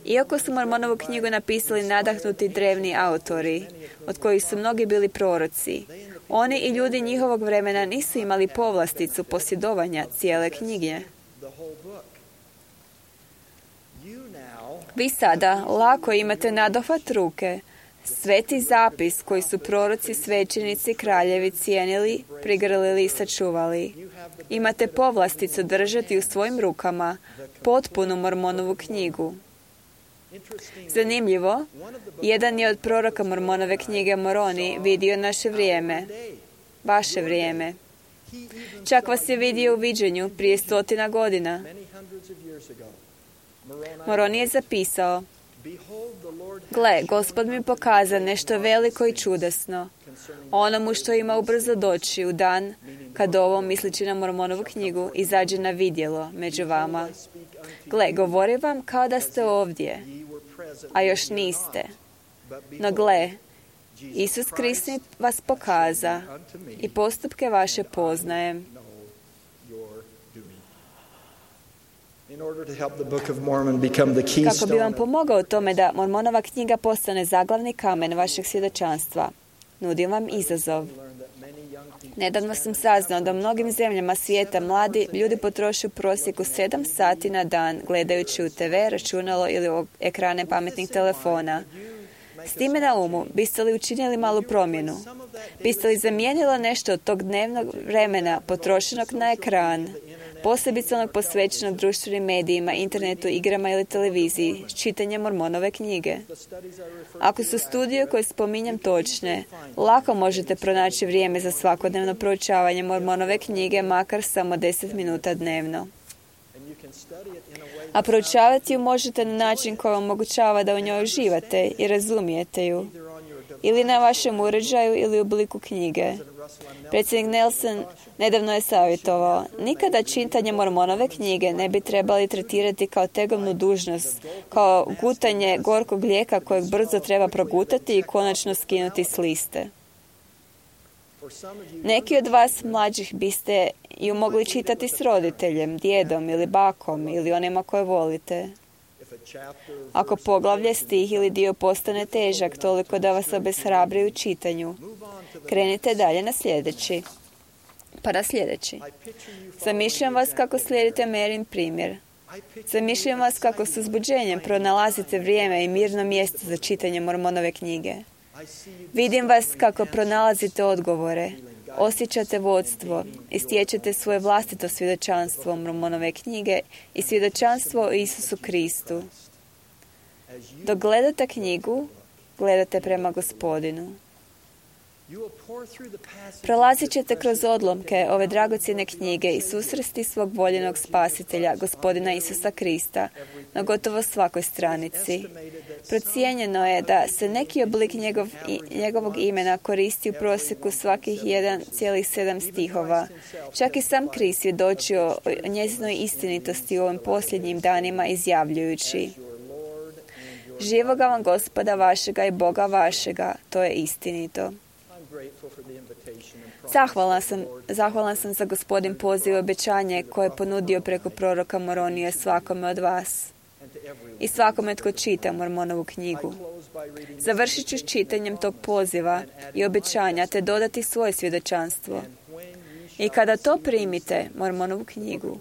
Iako su Mormonovu knjigu napisali nadahnuti drevni autori, od kojih su mnogi bili proroci, oni i ljudi njihovog vremena nisu imali povlasticu posjedovanja cijele knjige. Vi sada lako imate nadohvat ruke, sveti zapis koji su proroci, svećenici, kraljevi cijenili, prigrlili i sačuvali. Imate povlasticu držati u svojim rukama potpunu Mormonovu knjigu. Zanimljivo, jedan je od proroka Mormonove knjige Moroni vidio naše vrijeme, vaše vrijeme. Čak vas je vidio u viđenju prije 100 godina. Moroni je zapisao: Gle, Gospod mi pokaza nešto veliko i čudesno, onomu što ima ubrzo doći u dan kad ovo, misleći na Mormonovu knjigu, izađe na vidjelo među vama. Gle, govorim vam kao da ste ovdje, a još niste. No gle, Isus Krist vas pokaza i postupke vaše poznajem. Kako bi vam pomogao u tome da Mormonova knjiga postane zaglavni kamen vašeg svjedočanstva, Nudim vam izazov. Nedavno sam saznao da u mnogim zemljama svijeta mladi ljudi potroše u prosjeku 7 sati na dan gledajući u TV, računalo ili ekrane pametnih telefona. S time na umu, biste li učinili malu promjenu? Biste li zamijenili nešto od tog dnevnog vremena potrošenog na ekran, posebice onog posvećenog društvenim medijima, internetu, igrama ili televiziji, s čitanjem Mormonove knjige? Ako su studije koje spominjem točne, lako možete pronaći vrijeme za svakodnevno proučavanje Mormonove knjige, makar samo 10 minuta dnevno. A proučavati ju možete na način koji vam omogućava da u njoj uživate i razumijete ju. Ili na vašem uređaju ili u obliku knjige. Predsjednik Nelson nedavno je savjetovao, nikada čitanje Mormonove knjige ne bi trebali tretirati kao tegovnu dužnost, kao gutanje gorkog lijeka kojeg brzo treba progutati i konačno skinuti s liste. Neki od vas mlađih biste ju mogli čitati s roditeljem, djedom ili bakom ili onima koje volite. Ako poglavlje, stih ili dio postane težak toliko da vas obeshrabri u čitanju, krenite dalje na sljedeći. Pa na sljedeći. Zamišljam vas kako slijedite Marin primjer. Zamišljam vas kako s uzbuđenjem pronalazite vrijeme i mirno mjesto za čitanje Mormonove knjige. Vidim vas kako pronalazite odgovore, osjećate vodstvo i stječete svoje vlastito svjedočanstvo Mormonove knjige i svjedočanstvo o Isusu Kristu. Dok gledate knjigu, gledate prema Gospodinu. Prolazit ćete kroz odlomke ove dragocjene knjige i susresti svog voljenog spasitelja, Gospodina Isusa Krista, na gotovo svakoj stranici. Procijenjeno je da se neki oblik njegovog imena koristi u prosjeku svakih 1,7 stihova. Čak i sam Krist svjedočio o njezinoj istinitosti u ovim posljednjim danima izjavljujući: živoga vam Gospoda vašega i Boga vašega, to je istinito. Zahvalan sam za Gospodin poziv i obećanje koje je ponudio preko proroka Moronije svakome od vas i svakome tko čita Mormonovu knjigu. Završit ću s čitanjem tog poziva i obećanja te dodati svoje svjedočanstvo. I kada to primite, Mormonovu knjigu,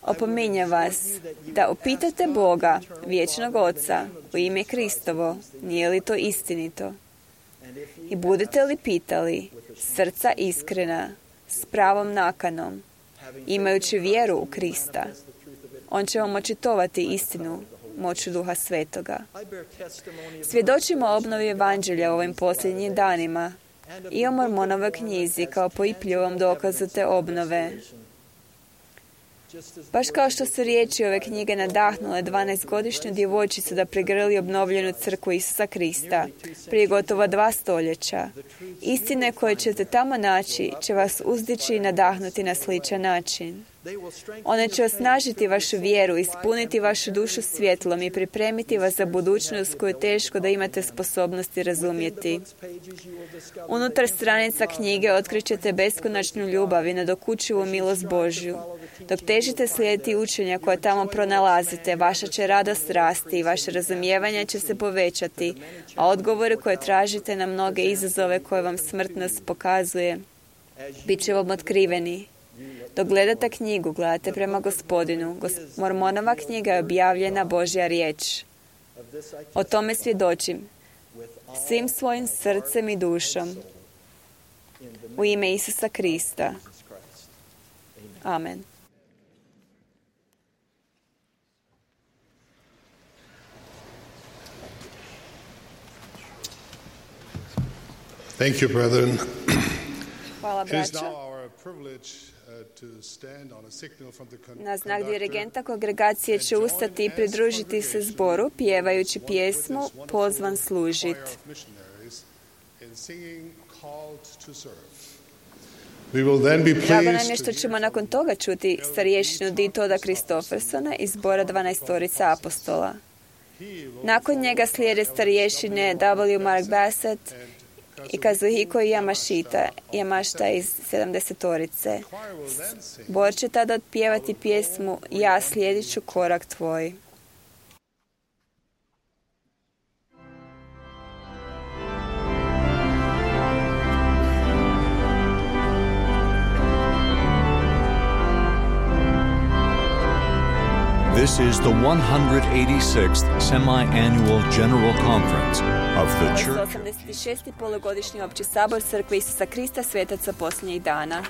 opominjem vas da upitate Boga, vječnog Oca, u ime Kristovo, nije li to istinito? I budete li pitali, srca iskrena, s pravom nakanom, imajući vjeru u Krista, on će vam očitovati istinu moću Duha Svetoga. Svjedočimo o obnovi evanđelja u ovim posljednjim danima i o Mormonovoj knjizi kao poipljivom dokazu te obnove. Baš kao što su riječi ove knjige nadahnule 12-godišnju djevojčicu da pregrli obnovljenu crkvu Isusa Krista prije gotovo 2 stoljeća. Istine koje ćete tamo naći će vas uzdići i nadahnuti na sličan način. One će osnažiti vašu vjeru, ispuniti vašu dušu svjetlom i pripremiti vas za budućnost koju je teško da imate sposobnosti razumjeti. Unutar stranica knjige otkrićete beskonačnu ljubav i nadokučivu milost Božju. Dok težite slijediti učenja koje tamo pronalazite, vaša će radost rasti i vaše razumijevanje će se povećati, a odgovore koje tražite na mnoge izazove koje vam smrtnost pokazuje, bit će vam otkriveni. Dok gledate knjigu, gledate prema Gospodinu. Mormonova knjiga je objavljena Božja riječ. O tome svjedočim svim svojim srcem i dušom. U ime Isusa Krista. Amen. Thank you, brethren. Hvala, It is braćo. now our privilege to stand on a signal from the Na znak conductor dirigenta kongregacije će ustati i pridružiti se zboru, pjevajući pjesmu Pozvan služit. of missionaries in singing Called to Serve. We will then be Drago nam je pleased što to ćemo nakon toga čuti starješinu Ditoda Kristofersona iz zbora 12 apostola. Nakon njega slijede starješine W. Mark Bassett i Kazuhiko Yamashita iz 70-orice. Zbor će tada otpjevati pjesmu Ja slijedit ću korak tvoj. This is the 186th Semi-Annual General Conference of the Church. 86. polugodišnji opći sabor Crkve Isusa Krista svetaca posljednjih dana.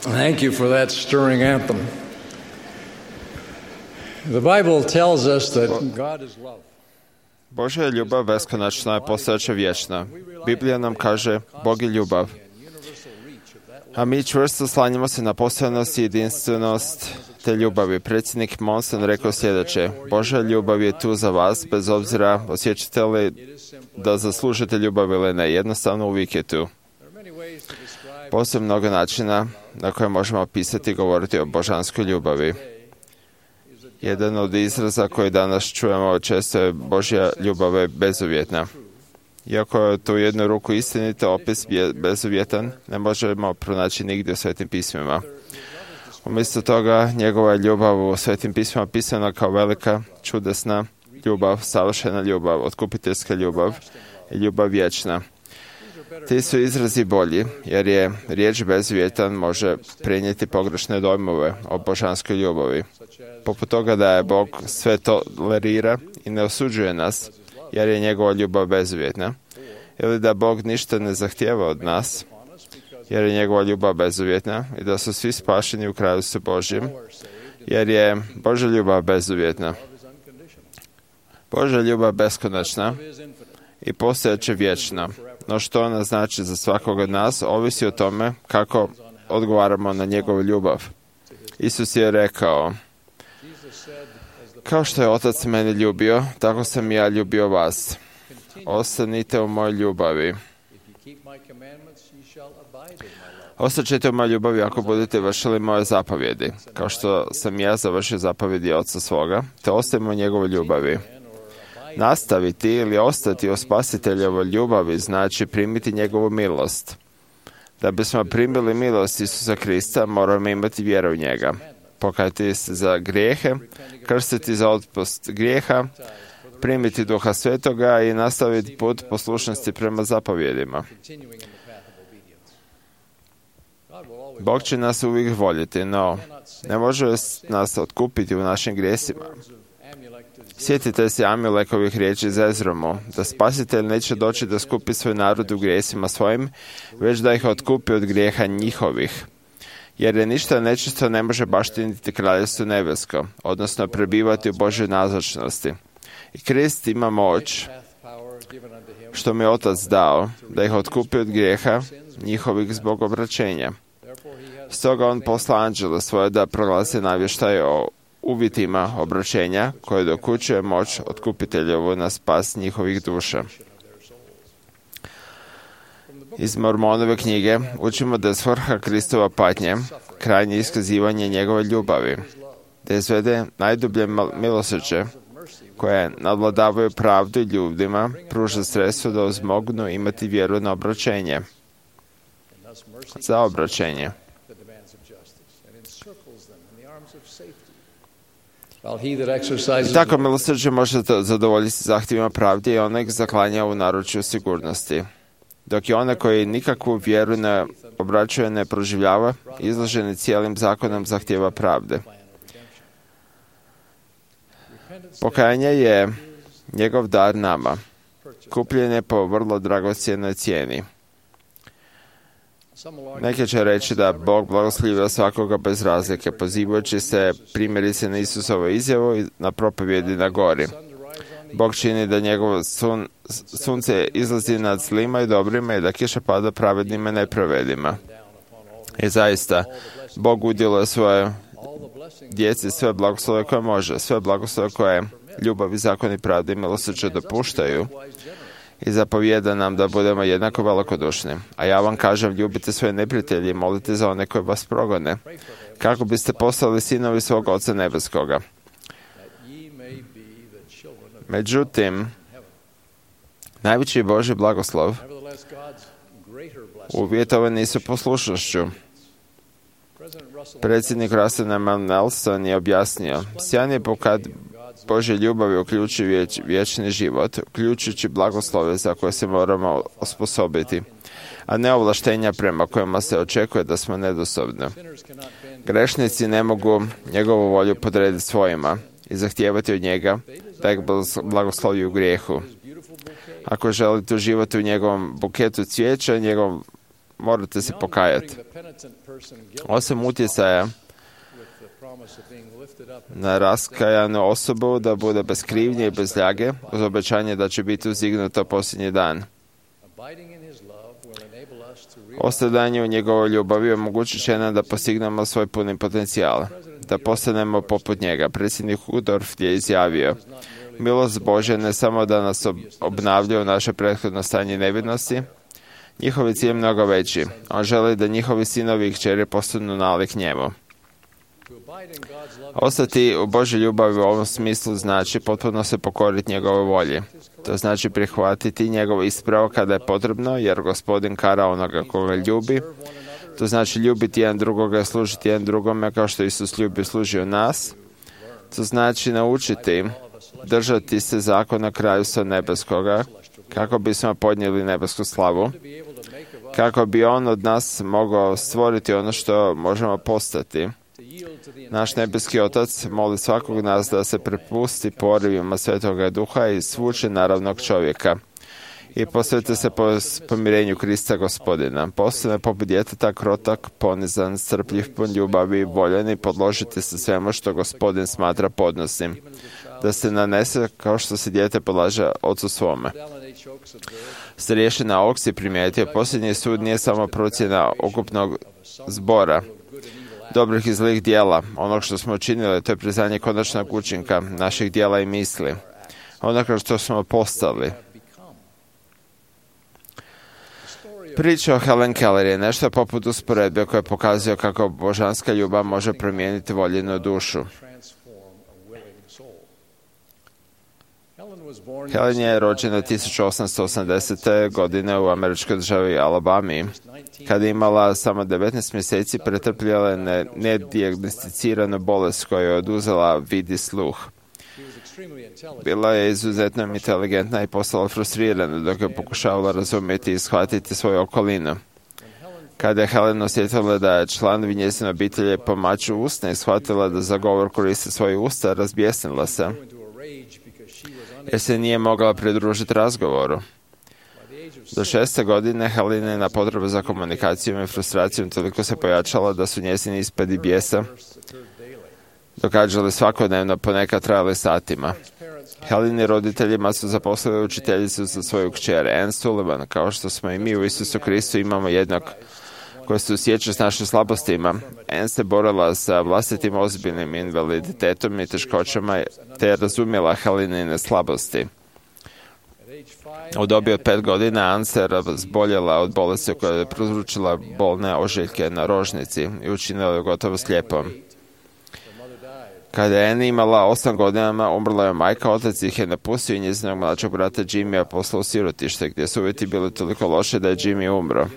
Thank you for that stirring anthem. The Bible tells us that God is love. Božja je ljubav beskonačna i postojeća vječna. Biblija nam kaže, Bog je ljubav. A mi čvrsto slanjamo se na postojanost i jedinstvenost te ljubavi. Predsjednik Monson rekao sljedeće: Božja ljubav je tu za vas, bez obzira osjećate li da zaslužite ljubav ili ne. Jednostavno uvijek je tu. Postoje mnogo načina na koje možemo opisati i govoriti o božanskoj ljubavi. Jedan od izraza koji danas čujemo često je Božja ljubav je bezuvjetna. Iako je to u jednu ruku istinito, opis bezuvjetan ne možemo pronaći nigdje u Svetim pismima. Umjesto toga, njegova ljubav u Svetim pismima pisana kao velika, čudesna ljubav, savršena ljubav, otkupiteljska ljubav i ljubav vječna. Ti su izrazi bolji, jer je riječ bezuvjetan može prenijeti pogrešne dojmove o božanskoj ljubavi. Poput toga da je Bog sve tolerira i ne osuđuje nas, jer je njegova ljubav bezuvjetna. Ili da Bog ništa ne zahtijeva od nas, jer je njegova ljubav bezuvjetna i da su svi spašeni u Kraljevstvu Božjem, jer je Božja ljubav bezuvjetna. Božja ljubav beskonačna i postojeće vječna. No što ona znači za svakog od nas, ovisi o tome kako odgovaramo na njegovu ljubav. Isus je rekao: kao što je Otac mene ljubio, tako sam i ja ljubio vas. Ostanite u mojoj ljubavi. Ostaćete u mojoj ljubavi ako budete vršili moje zapovjedi, kao što sam ja završio zapovjedi Oca svoga, te ostajemo u njegovoj ljubavi. Nastaviti ili ostati u Spasiteljevoj ljubavi znači primiti njegovu milost. Da bismo primili milost Isusa Krista, moramo imati vjeru u njega. Pokajati se za grijehe, krstiti za otpust grijeha, primiti Duha Svetoga i nastaviti put poslušnosti prema zapovjedima. Bog će nas uvijek voljeti, no ne može nas otkupiti u našim grijesima. Sjetite se Amilekovih riječi za Ezromu, da Spasitelj neće doći da skupi svoj narod u grijesima svojim, već da ih otkupi od grijeha njihovih. Jer je ništa nečisto ne može baštiniti kraljevstvo nebesko, odnosno prebivati u Božoj nazočnosti. I Krist ima moć, što mi je Otac dao, da ih otkupi od grijeha njihovih zbog obraćenja. Stoga on posla anđela svoje da proglasi navještaj o uvjetima obraćenja koje dokućuje moć otkupiteljevu na spas njihovih duša. Iz Mormonove knjige učimo da je svrha Kristova patnje krajnje iskazivanje njegove ljubavi, da izvede najdublje milosrđe koje nadvladavaju pravdu i ljudima, pruža sredstvo da uzmognu imati vjeru na obraćenje. Za obraćenje. I tako milosrđe može zadovoljiti zahtjevima pravde i onek zaklanja u naručju sigurnosti. Dok je one koji nikakvu vjeru ne obraćuje, ne proživljava, izloženi cijelim zakonom zahtjeva pravde. Pokajanje je njegov dar nama, kupljen je po vrlo dragocjenoj cijeni. Neki će reći da Bog blagoslivio svakoga bez razlike, pozivajući se primjerice na Isusovu izjavu i na propovjedi na gori. Bog čini da njegovo sunce izlazi nad zlima i dobrima i da kiša pada pravednima i nepravednima. I zaista, Bog udjeluje svoje djeci sve blagoslove koje može, sve blagoslove koje ljubav i zakon i pravda i milosrđe dopuštaju i zapovijeda nam da budemo jednako velikodušni. A ja vam kažem, ljubite svoje neprijatelje i molite za one koje vas progone, kako biste postali sinovi svog Oca nebeskoga. Međutim, najveći Božji blagoslov uvjetovan nisu poslušnošću. Predsjednik Russell M. Nelson je objasnio, sjajan je pokad Božje ljubavi uključuje vječni život, uključujući blagoslove za koje se moramo osposobiti, a ne ovlaštenja prema kojima se očekuje da smo nedosobni. Grešnici ne mogu njegovu volju podrediti svojima i zahtijevati od njega da ih blagoslovi u grijehu. Ako želite uživati u njegovom buketu cvijeća, morate se pokajati. Osim utjecaja na raskajanu osobu da bude bez krivnje i bez ljage, uz obećanje da će biti uzdignuta posljednji dan. Ostajanje u njegovoj ljubavi omogućit će nam da postignemo svoj puni potencijal, da postanemo poput njega. Predsjednik Udorf je izjavio, milost Božja ne samo da nas obnavlja u naše prethodno stanje nevinosti, njihov je cilj mnogo veći. On želi da njihovi sinovi i kćeri postanu nalik njemu. Ostati u Božoj ljubavi u ovom smislu znači potpuno se pokoriti njegovoj volji. To znači prihvatiti njegov ispravo kada je potrebno, jer Gospodin kara onoga koga ljubi. To znači ljubiti jedan drugoga i služiti jedan drugome kao što Isus ljubi i služio nas. To znači naučiti držati se zakona kraljevstva nebeskoga kako bismo podnijeli nebesku slavu, kako bi on od nas mogao stvoriti ono što možemo postati. Naš nebeski Otac moli svakog nas da se prepusti porivima Svetoga Duha i svuče naravnog čovjeka i posvete se pomirenju Krista Gospodina. Postane poput djeteta krotak, ponizan, strpljiv, pun ljubavi, voljen i podložiti se svemu što Gospodin smatra podnosnim, da se nanese kao što se dijete podlaže ocu svome. Starješina Oks je primijetio, posljednji sud nije samo procjena ukupnog zbora dobrih i zlih dijela, onog što smo učinili, to je priznanje konačnog učinka naših dijela i misli, onoga što smo postali. Priča o Helen Keller je nešto poput usporedbe koja pokazuje kako božanska ljubav može promijeniti voljenu dušu. Helen je rođena 1880. godine u američkoj državi Alabami. Kada je imala samo 19 mjeseci, pretrpjela je nedijagnosticiranu bolest koja je oduzela vid i sluh. Bila je izuzetno inteligentna i postala frustrirana dok je pokušavala razumjeti i shvatiti svoju okolinu. Kada je Helen osjetila da članovi njezine obitelji pomaču usne i shvatila da za govor koriste svoje usta, razbjesnila se, jer se nije mogla pridružiti razgovoru. Do 6. godine Helenina potreba za komunikacijom i frustracijom toliko se pojačala da su njezini ispadi bijesa događali svakodnevno, ponekad trajali satima. Heleni roditeljima su zaposlili učiteljicu za svoju kćer, Anne Sullivan, kao što smo i mi u Isusu Kristu imamo jednog koji se osjeća s našim slabostima. Anne se borila sa vlastitim ozbiljnim invaliditetom i teškoćama te je razumjela Helenine slabosti. U dobi od 5 godina Anne se razboljela od bolesti koja je prouzročila bolne ožiljke na rožnici i učinila je gotovo slijepom. Kada je Anne imala 8 godina, umrla je majka, otac ih je napustio i njezinog mlađeg brata Jimmya poslao u sirotište, gdje su uvjeti bili toliko loše da je Jimmy umro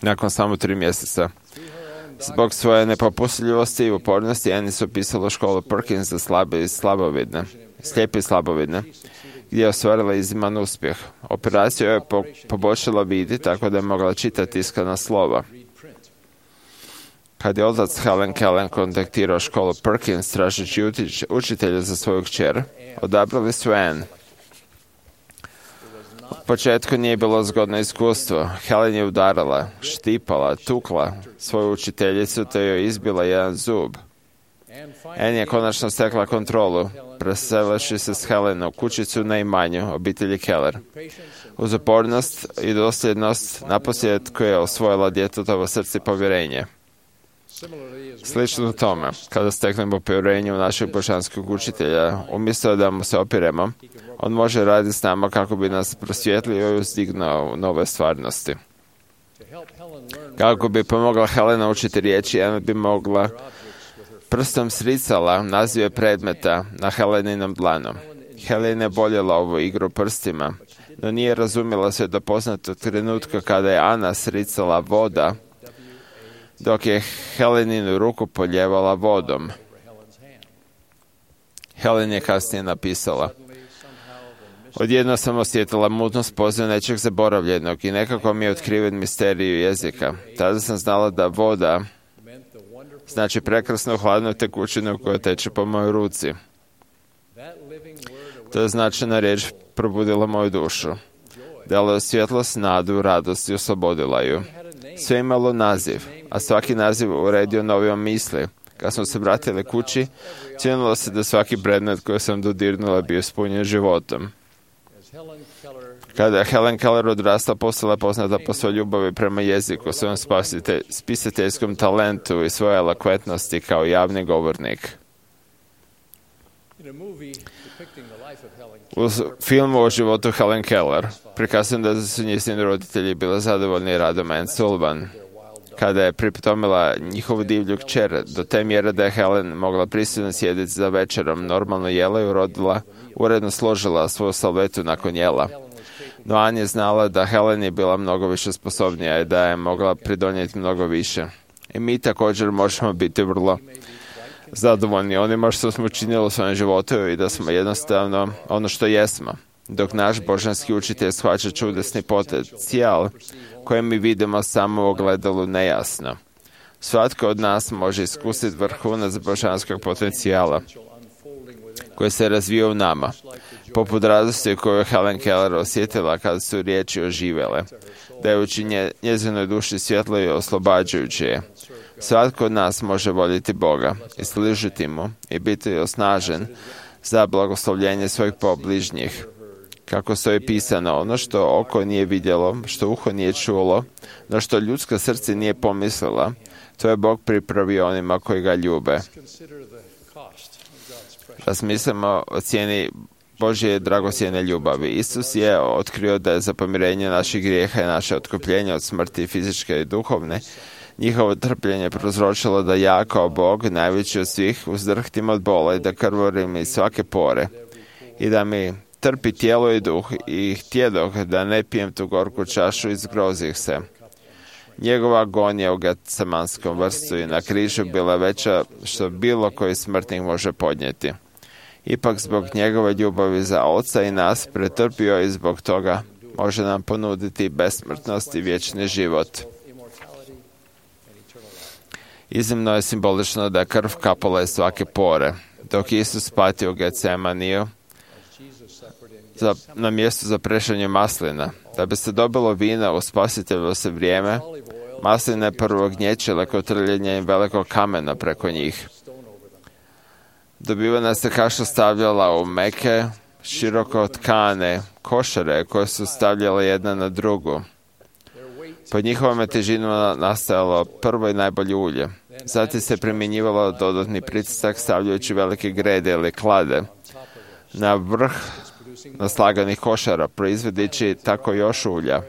nakon samo 3 mjeseca. Zbog svoje nepopustljivosti i upornosti, Anne su upisala školu Perkins za slijepe i slabovidne, gdje je ostvarila izniman uspjeh. Operacija je poboljšala vidi tako da je mogla čitati tiskana slova. Kad je otac Helen Keller kontaktirao školu Perkins tražeći učitelja za svoju kćer, odabrali su Anne. U početku nije bilo zgodno iskustvo. Helen je udarala, štipala, tukla svoju učiteljicu te joj izbila jedan zub. Anne je konačno stekla kontrolu, preseleši se s Helen u kućicu na imanju obitelji Keller. Uz upornost i dosljednost naposljetku je osvojila djetetovo srce i povjerenje. Slično tome, kada steknemo povjerenje u našeg božanskog učitelja, umjesto da mu se opiremo, on može raditi s nama kako bi nas prosvjetlio i uzdignuo u nove stvarnosti. Kako bi pomogla Helena učiti riječi, Anne bi mogla prstom sricala nazive predmeta na Heleninom dlanu. Helen je voljela ovu igru prstima, no nije razumjela sve do poznatog trenutka kada je Ana sricala voda, dok je Heleninu ruku poljevala vodom. Helen je kasnije napisala: odjedno sam osjetila mutnost poziv nečeg zaboravljenog i nekako mi je otkriven misteriju jezika. Tada sam znala da voda znači prekrasnu hladnu tekućinu koja teče po mojoj ruci. To je značajna riječ probudila moju dušu. Dala je svjetlost, nadu, radost i oslobodila ju. Sve imalo naziv, a svaki naziv uredio novijom misli. Kad smo se vratili kući, cijenilo se da svaki predmet koji sam dodirnula bio ispunjen životom. Kada je Helen Keller odrasla, postala poznata po svojoj ljubavi prema jeziku, svojom spisateljskom talentu i svojoj elokventnosti kao javni govornik. U filmu o životu Helen Keller prikazano da su njezini roditelji bili zadovoljni radom Anne Sullivan, kada je pritomila njihovu divlju kćer, do te mjere da je Helen mogla pristojno sjediti za večerom, normalno jela i uredno složila svoju salvetu nakon jela. No Anne je znala da Helen je bila mnogo više sposobnija i da je mogla pridonijeti mnogo više. I mi također možemo biti vrlo zadovoljni onima što smo učinili u svojem životu i da smo jednostavno ono što jesmo. Dok naš božanski učitelj shvaća čudesni potencijal koji mi vidimo samo u ogledalu nejasno. Svatko od nas može iskusiti vrhunac božanskog potencijala koji se razvija u nama, poput radosti koju je Helen Keller osjetila kada su riječi oživjele, dajući njezinoj duši svjetlo i oslobađajuće je. Svatko od nas može voljeti Boga i služiti mu i biti osnažen za blagoslovljenje svojih pobližnjih. Kako stoji pisano, ono što oko nije vidjelo, što uho nije čulo, no što ljudsko srce nije pomislila, to je Bog pripravio onima koji ga ljube. Razmislimo o cijeni Božje dragocjene ljubavi. Isus je otkrio da je za pomirenje naših grijeha i naše otkupljenje od smrti fizičke i duhovne njihovo trpljenje prouzročilo da ja kao Bog, najveći od svih, uzdrhtim od bola i da krvorim iz svake pore i da mi trpi tijelo i duh i htjedoh da ne pijem tu gorku čašu i zgrozih se. Njegova agonija u Getsemanskom vrstu i na križu bila veća što bilo koji smrtnik može podnijeti. Ipak zbog njegove ljubavi za Oca i nas pretrpio i zbog toga može nam ponuditi besmrtnost i vječni život. Iznimno je simbolično da je krv kapala iz svake pore. Dok Isus patio u Getsemaniju na mjestu za prešanje maslina, da bi se dobilo vina u Spasiteljovo se vrijeme, masline prvo gnječile kod trljenja velikog kamena preko njih. Dobivena se kaša stavljala u meke, široko tkane košare koje su stavljale jedna na drugu. Pod njihovom je težinom nastajalo prvo i najbolje ulje. Zatim se primjenjivalo dodatni pritisak stavljajući velike grede ili klade na vrh naslaganih košara, proizvodeći tako još ulja.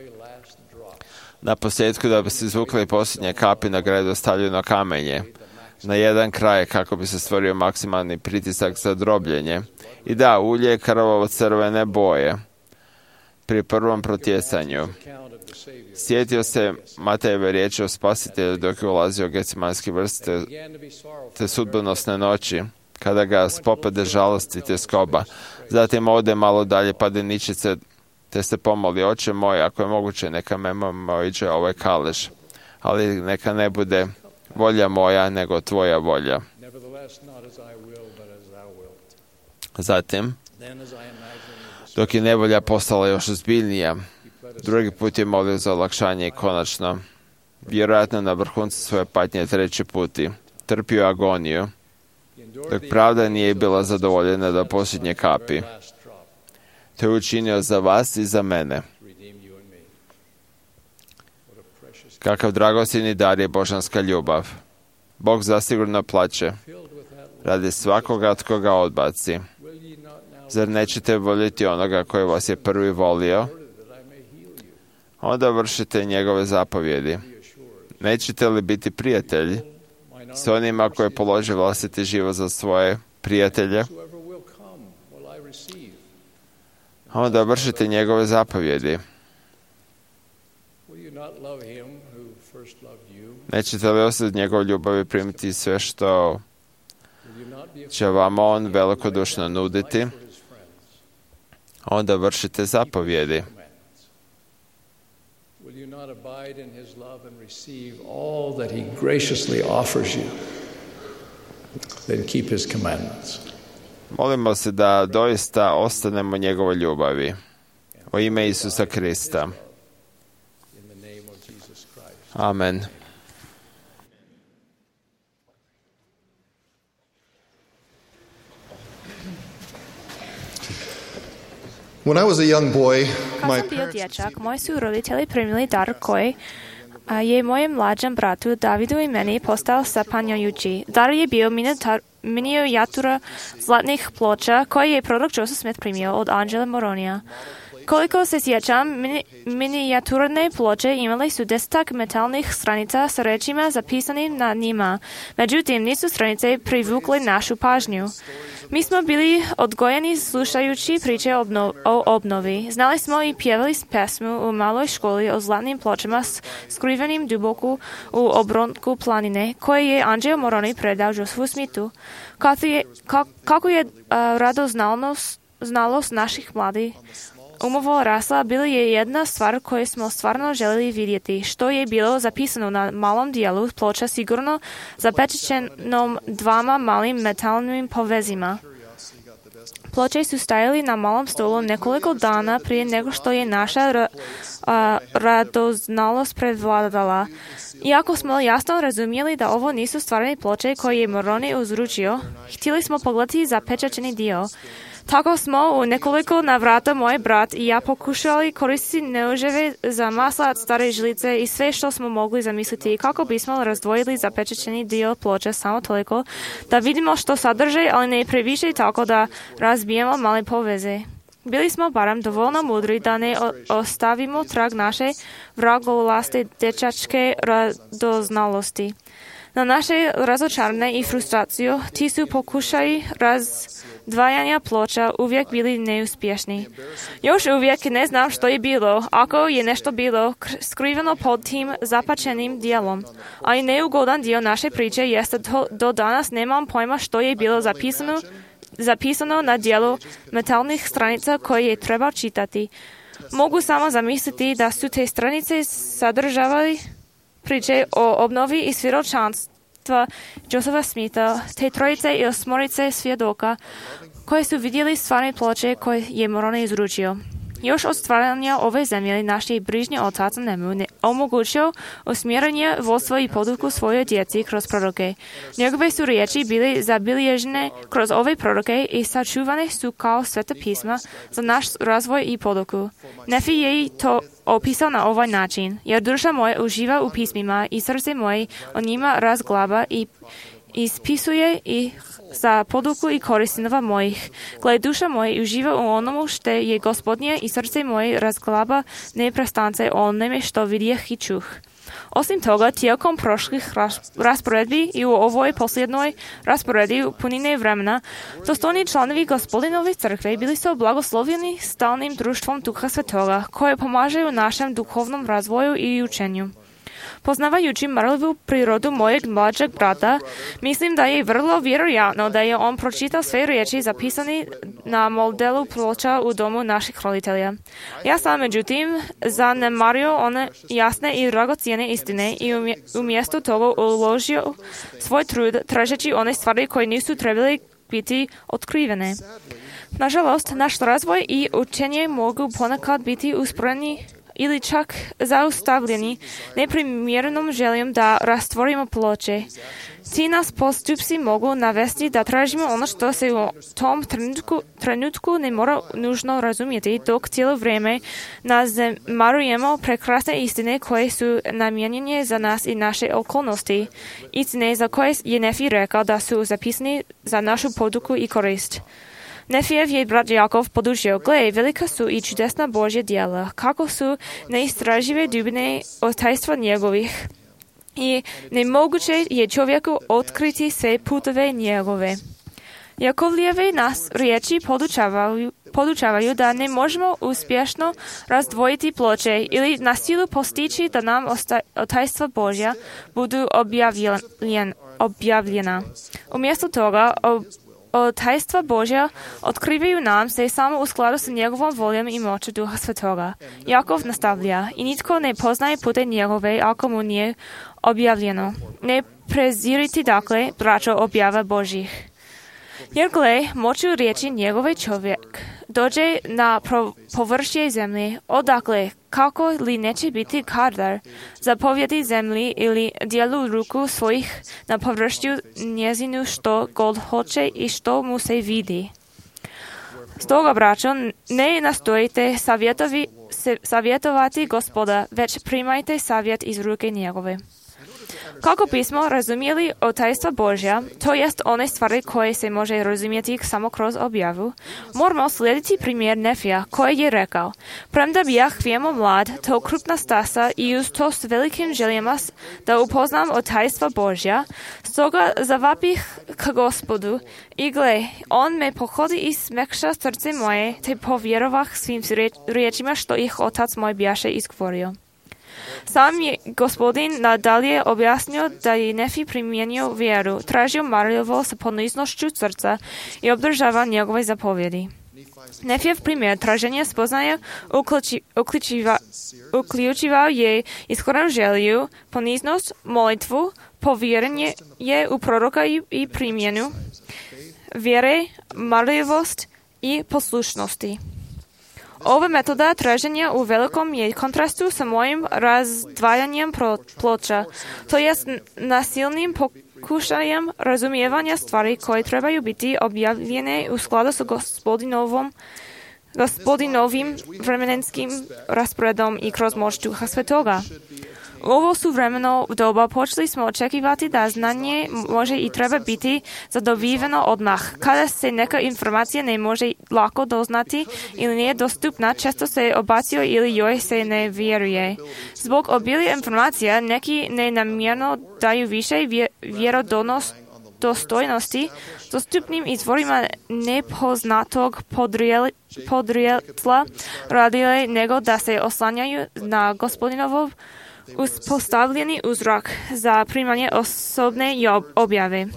Na posljedku, da bi se izvukli posljednje kapi na gredu, stavljeno kamenje na jedan kraj kako bi se stvorio maksimalni pritisak za drobljenje. I da, ulje je krvavo crvene boje pri prvom protjecanju. Sjetio se Matejeve riječi o Spasitelju dok je ulazio u Getsemanski vrst te sudbonosne noći, kada ga spopade žalost i tjeskoba. Zatim ode malo dalje, pade ničice, te se pomoli: Oče moj, ako je moguće, neka me oiđe ovaj kalež, ali neka ne bude volja moja, nego tvoja volja. Zatim, dok je nevolja postala još ozbiljnija, drugi put je molio za olakšanje i konačno, vjerojatno na vrhuncu svoje patnje treći puti, trpio agoniju, dok pravda nije bila zadovoljena do posljednje kapi. To je učinio za vas i za mene. Kakav dragocjeni dar je božanska ljubav. Bog zasigurno plaće radi svakoga tko ga odbaci. Zar nećete voljeti onoga koji vas je prvi volio? Onda vršite njegove zapovjedi. Nećete li biti prijatelji s onima koji polože vlastiti život za svoje prijatelje? Onda vršite njegove zapovjedi. Nećete li osjetiti njegov ljubav i primiti sve što će vam on velikodušno nuditi? Onda vršite zapovjedi. Molimo se da doista ostanemo njegovoj ljubavi. U ime Isusa Krista. Amen. When I was a young boy, Kad sam bio dječak, moji su roditelji primili dar koji je mojem mlađem bratu Davidu i meni postao zapanjujući. Dar je bio minijatura zlatnih ploča koje je prorok Joseph Smith primio od Angela Moronija. Koliko se sjećam, minijaturne ploče imale su 10 metalnih stranica sa rečima zapisanim na njima. Međutim, nisu stranice privukle našu pažnju. Mi smo bili odgojeni slušajući priče o obnovi. Znali smo i pjevali pesmu u maloj školi o zlatnim pločama skrivenim duboko u obronku planine, koje je Angelo Moroni predao Josephu Smithu. Kako je radoznalost naših mladih umova rasla, bila je jedna stvar koju smo stvarno željeli vidjeti, što je bilo zapisano na malom dijelu ploča, sigurno zapečaćenom 2 malim metalnim povezima. Ploče su stajali na malom stolu nekoliko dana prije nego što je naša radoznalost prevladala. Iako smo jasno razumjeli da ovo nisu stvarne ploče koje je Moroni uzručio, htjeli smo pogledati zapečaćeni dio. Tako smo u nekoliko navrata moj brat i ja pokušali koristiti noževe za maslac, stare žlice i sve što smo mogli zamisliti kako bismo razdvojili zapečaćeni dio ploče samo toliko da vidimo što sadrže, ali ne previše tako da razbijemo male poveze. Bili smo barem dovoljno mudri da ne ostavimo trag naše vragolaste dječačke radoznalosti. Na naše razočaranje i frustraciju, ti su pokušaji razdvajanja ploča uvijek bili neuspješni. Još uvijek ne znam što je bilo, ako je nešto bilo skriveno pod tim zapačenim dijelom. A i neugodan dio naše priče jeste do danas nemam pojma što je bilo zapisano na dijelu metalnih stranica koje je trebao čitati. Mogu samo zamisliti da su te stranice sadržavali priče o obnovi i svjedočanstva Josepha Smitha, te trojice ili osmorice svjedoka koje su vidjeli stvarne ploče koje je Moroni izručio. Još od stvaranja ove zemlje naš je bližnji otac Nemu omogućio usmjerenje vodstva i poduku svojoj djeci kroz proroke. Njegove su riječi bili zabilježene kroz ove proroke i sačuvane su kao sveta pisma za naš razvoj i poduku. Nefi je to opisao na ovaj način, jer duša moja uživa u pismima i srce moje o njima razglaba i ispisuje ih za poduku i korist sinova mojih. Gle, duša moja uživa u onomu što je Gospodnje i srce moje razglaba neprestance o onome što vidjeh i čuh. Osim toga, tijekom prošlih rasporedbi i u ovoj posljednoj rasporedi u punine vremena, dostojni članovi Gospodinove crkve bili su blagoslovljeni stalnim društvom Duha Svetoga, koje pomaže u našem duhovnom razvoju i učenju. Poznavajući marljivu prirodu mojeg mlađeg brata, mislim da je vrlo vjerojatno da je on pročitao sve riječi zapisane na modelu ploča u domu naših roditelja. Ja sam, međutim, zanemario one jasne i dragocjene istine i umjesto toga uložio svoj trud tražeći one stvari koje nisu trebali biti otkrivene. Nažalost, naš razvoj i učenje mogu ponekad biti usporeni ili čak zaustavljeni neprimjerenom željom da rastvorimo ploče. Ti nas postupci mogu navesti da tražimo ono što se u tom trenutku ne mora nužno razumjeti, dok cijelo vrijeme nazanemarujemo prekrasne istine koje su namijenjene za nas i naše okolnosti. Istine za koje je Nefi rekao da su zapisane za našu poduku i korist. Nefijev je brat Jakov podučio, gle, velika su i čudesna Božja djela, kako su neistražive dubine otajstva njegovih i nemoguće je čovjeku otkriti sve putove njegove. Jakovlijeve nas riječi podučavaju da ne možemo uspješno razdvojiti ploče ili na silu postići da nam otajstva Božja budu objavljena. Umjesto toga, otajstva Božja otkrivaju nam se samo u skladu s njegovom voljom i moću Duha Svetoga. Jakov nastavlja, i nitko ne poznaje pute njegove ako mu nije objavljeno. Ne preziriti dakle, braćo, objava Božjih. Jer gle, moću riječi njegove čovjek dođe na površje zemlje, odakle, kako li neće biti kadar zapovjedi zemlji ili dijelu ruku svojih na površju njezinu što god hoće i što mu se vidi. Stoga, braćo, ne nastojite savjetovati Gospoda, već primajte savjet iz ruke njegove. Kako bismo razumjeli otajstva Božja, to jest one stvari koje se može razumjeti samo kroz objavu, moramo slijediti primjer Nefija koji je rekao, premda bijah vijemo mlad, to krupna stasa i uz to s velikim željama da upoznam otajstva Božja, stoga zavapih k Gospodu i gle, on me pohodi i smekša srce moje, te povjerovah svim riječima što ih otac moj bijaše izgovorio. Sam je Gospodin nadalje objasnio da je Nefi primijenio vjeru, tražio marljivo sa poniznošću srca i obdržava njegove zapovjedi. Nefijev primjer traženja spoznaja uključivao je iskrenu želju, poniznost, molitvu, povjerenje je u proroka i primjenu vjere, marljivost i poslušnosti. Ova metoda traženja u velikom je kontrastu sa mojim razdvajanjem ploča, to jest nasilnim pokušajem razumijevanja stvari koje trebaju biti objavljene u skladu sa gospodinovim vremenskim rasporedom i kroz moć Duha Svetoga. U ovo suvremeno doba počeli smo očekivati da znanje može i treba biti zadobiveno odmah. Kada se neka informacija ne može lako doznati ili nije dostupna, često se odbacuje ili joj se ne vjeruje. Zbog obilja informacija neki nenamjerno daju više vjerodostojnosti dostupnim izvorima nepoznatog podrijetla radile nego da se oslanjaju na Gospodinovo uspostavljeni uzrok za primanje osobne objave.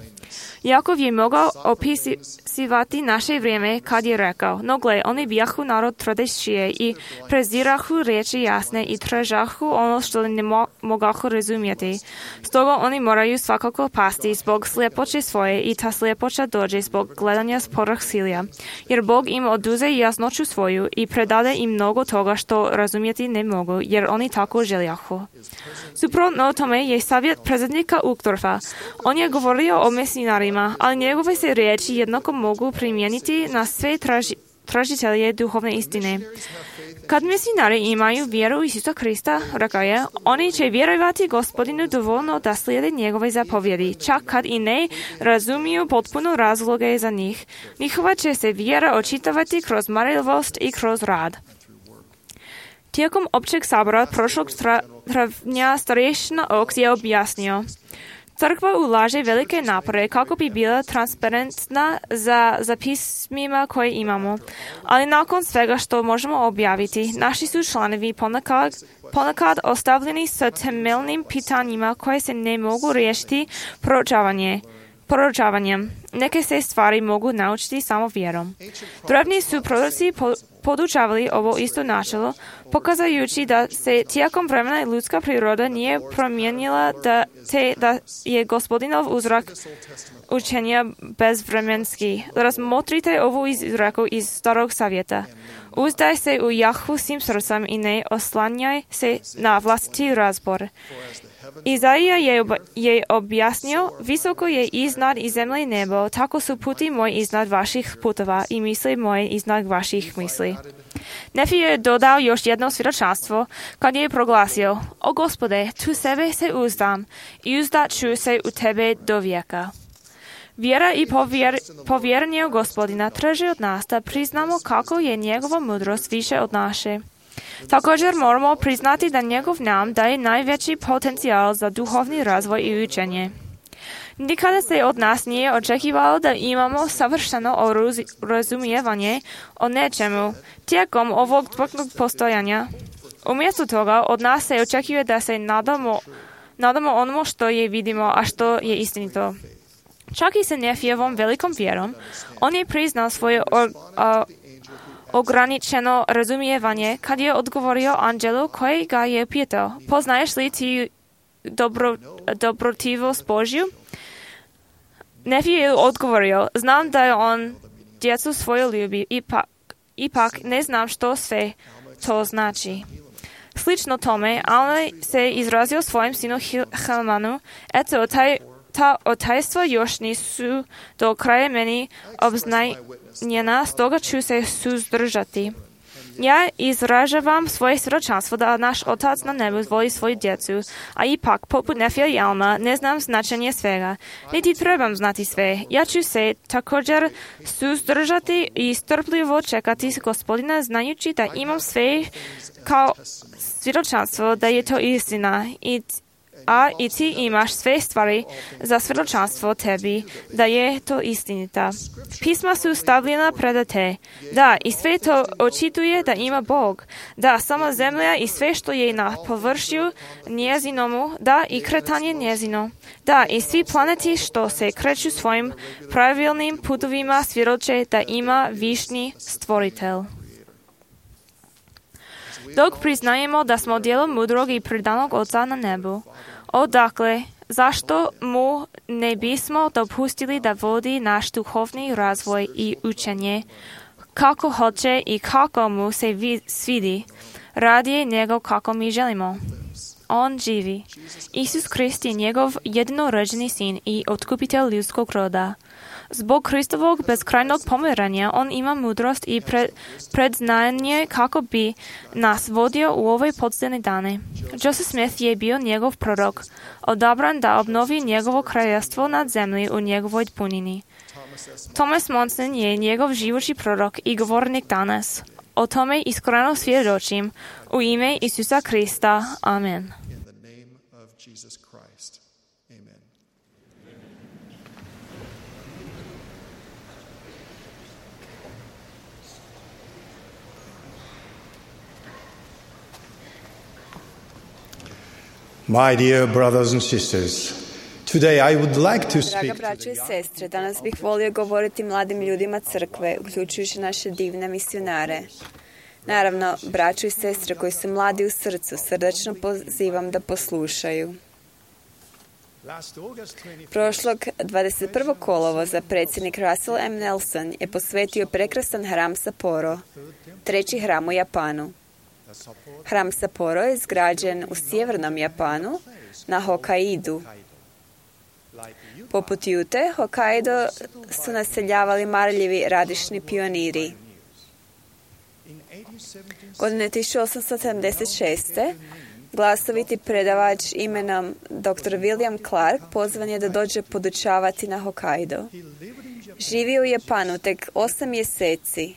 Jakov je mogao opisivati naše vrijeme kad je rekao: no gle, oni bijahu narod tvrdešije i prezirahu riječi jasne i tražahu ono što ne mogahu razumjeti. Stoga oni moraju svakako pasti zbog sljepoće svoje i ta sljepoća dođe zbog gledanja sporih silja. Jer Bog im oduze jasnoću svoju i predade im mnogo toga što razumjeti ne mogu, jer oni tako željahu. Suprotno tome je savjet predsjednika Uchtdorfa. On je govorio o misionarima, ali njegove se riječi jednako mogu primijeniti na sve tražitelje duhovne istine. Kad misionari imaju vjeru u Isusa Krista, rekao je, oni će vjerovati Gospodinu dovoljno da slijede njegove zapovjedi, čak kad i ne razumiju potpuno razloge za njih. Njihova će se vjera očitovati kroz marljivost i kroz rad. Tijekom općeg sabora prošlog travnja starješina Oaks je objasnio: Crkva ulaže velike napore kako bi bila transparentna za zapismima koje imamo, ali nakon svega što možemo objaviti, naši su članovi ponekad ostavljeni sa temeljnim pitanjima koje se ne mogu riješiti proučavanjem. Neke se stvari mogu naučiti samo vjerom. Drevni su proroci podučavali ovo isto načelo, pokazujući da se tijekom vremena ljudska priroda nije promijenila, da je Gospodinov uzrok učenja bezvremenski. Razmotrite ovu izreku iz Starog Zavjeta. Uzdaj se u Jahvu svim srcem i ne oslanjaj se na vlastiti razbor. Izaija je objasnio: visoko je iznad i zemlje nebo, tako su puti moji iznad vaših putova i misli moje iznad vaših misli. Nefi je dodao još jedno svjedočanstvo kad je proglasio: o Gospode, tu sebe se uzdam i uzdat ću se u tebe do vijeka. Vjera i povjerenje u Gospodina traži od nas da priznamo kako je njegova mudrost više od naše. Također moramo priznati da njegov nam daje najveći potencijal za duhovni razvoj i učenje. Nikada se od nas nije očekivalo da imamo savršeno razumijevanje o nečemu tijekom ovog tvrdog postojanja. Umjesto toga od nas se očekuje da se nadamo onomu što je vidimo, a što je istinito. Čak i sa Nefijevom velikom vjerom, on je priznal svoje ograničeno razumijevanje kad je odgovorio anđelu koji ga je pitao: poznaješ li ti dobrotivost Božju? Nefi je odgovorio: znam da je on djecu svoju ljubi, ipak ne znam što sve to znači. Slično tome, Alma se izrazio svojim sinu Helmanu: eto, ta otajstva još nisu do kraja meni obznanjena, stoga ću se suzdržati. Ja izražavam svoje svjedočanstvo da naš Otac na nebu voli svoju djecu, a ipak, poput Nefija i Alma, ne znam značenje svega. Niti trebam znati sve. Ja ću se također suzdržati i strpljivo čekati Gospodina, znajući da imam sve kao svjedočanstvo da je to istina. I ti imaš sve stvari za svjedočanstvo tebi, da je to istinita. Pisma su stavljena pred te. Da, i sve to očituje da ima Bog. Da, sama zemlja i sve što je na površju njezinomu, da, i kretanje njezino. Da, i svi planeti što se kreću svojim pravilnim putovima svjedoče da ima višni stvoritelj. Dok priznajemo da smo djelo mudrog i predanog Oca na nebu, odakle, zašto mu ne bismo dopustili da vodi naš duhovni razvoj i učenje, kako hoće i kako mu se svidi, radije nego kako mi želimo? On živi. Isus Krist je njegov jedinorođeni sin i otkupitelj ljudskog roda. Zbog Kristovog bezkrajnog pomiranja on ima mudrost i predznanje kako bi nas vodio u ove podzemne dane. Joseph Smith je bio njegov prorok, odabran da obnovi njegovo kraljevstvo nad zemlji u njegovoj punini. Thomas Monson je njegov živući prorok i govornik danas. O tome iskreno svjedočim u ime Isusa Krista. Amen. My dear brothers and sisters, today I would like to speak Draga braćo i sestre, danas bih volio govoriti mladim ljudima crkve, uključujući naše divne misionare. Naravno, braćo i sestre koji su mladi u srcu, srdačno pozivam da poslušaju. Prošlog 21. kolovoza predsjednik Russell M. Nelson je posvetio prekrasan hram Sapporo, treći hram u Japanu. Hram Sapporo je izgrađen u sjevernom Japanu, na Hokkaidu. Poput Jute, Hokkaido su naseljavali marljivi radišni pioniri. Godine 1876. glasoviti predavač imenom dr. William Clark pozvan je da dođe podučavati na Hokkaido. Živio u Japanu tek 8 mjeseci,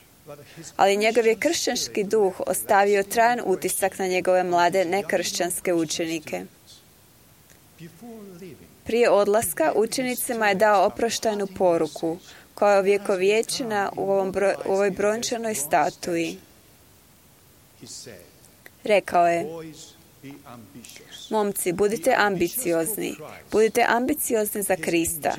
ali njegov je kršćanski duh ostavio trajan utisak na njegove mlade nekršćanske učenike. Prije odlaska učenicima je dao oproštajnu poruku, koja je ovjekovječena u ovoj brončanoj statui. Rekao je: momci, budite ambiciozni. Budite ambiciozni za Krista.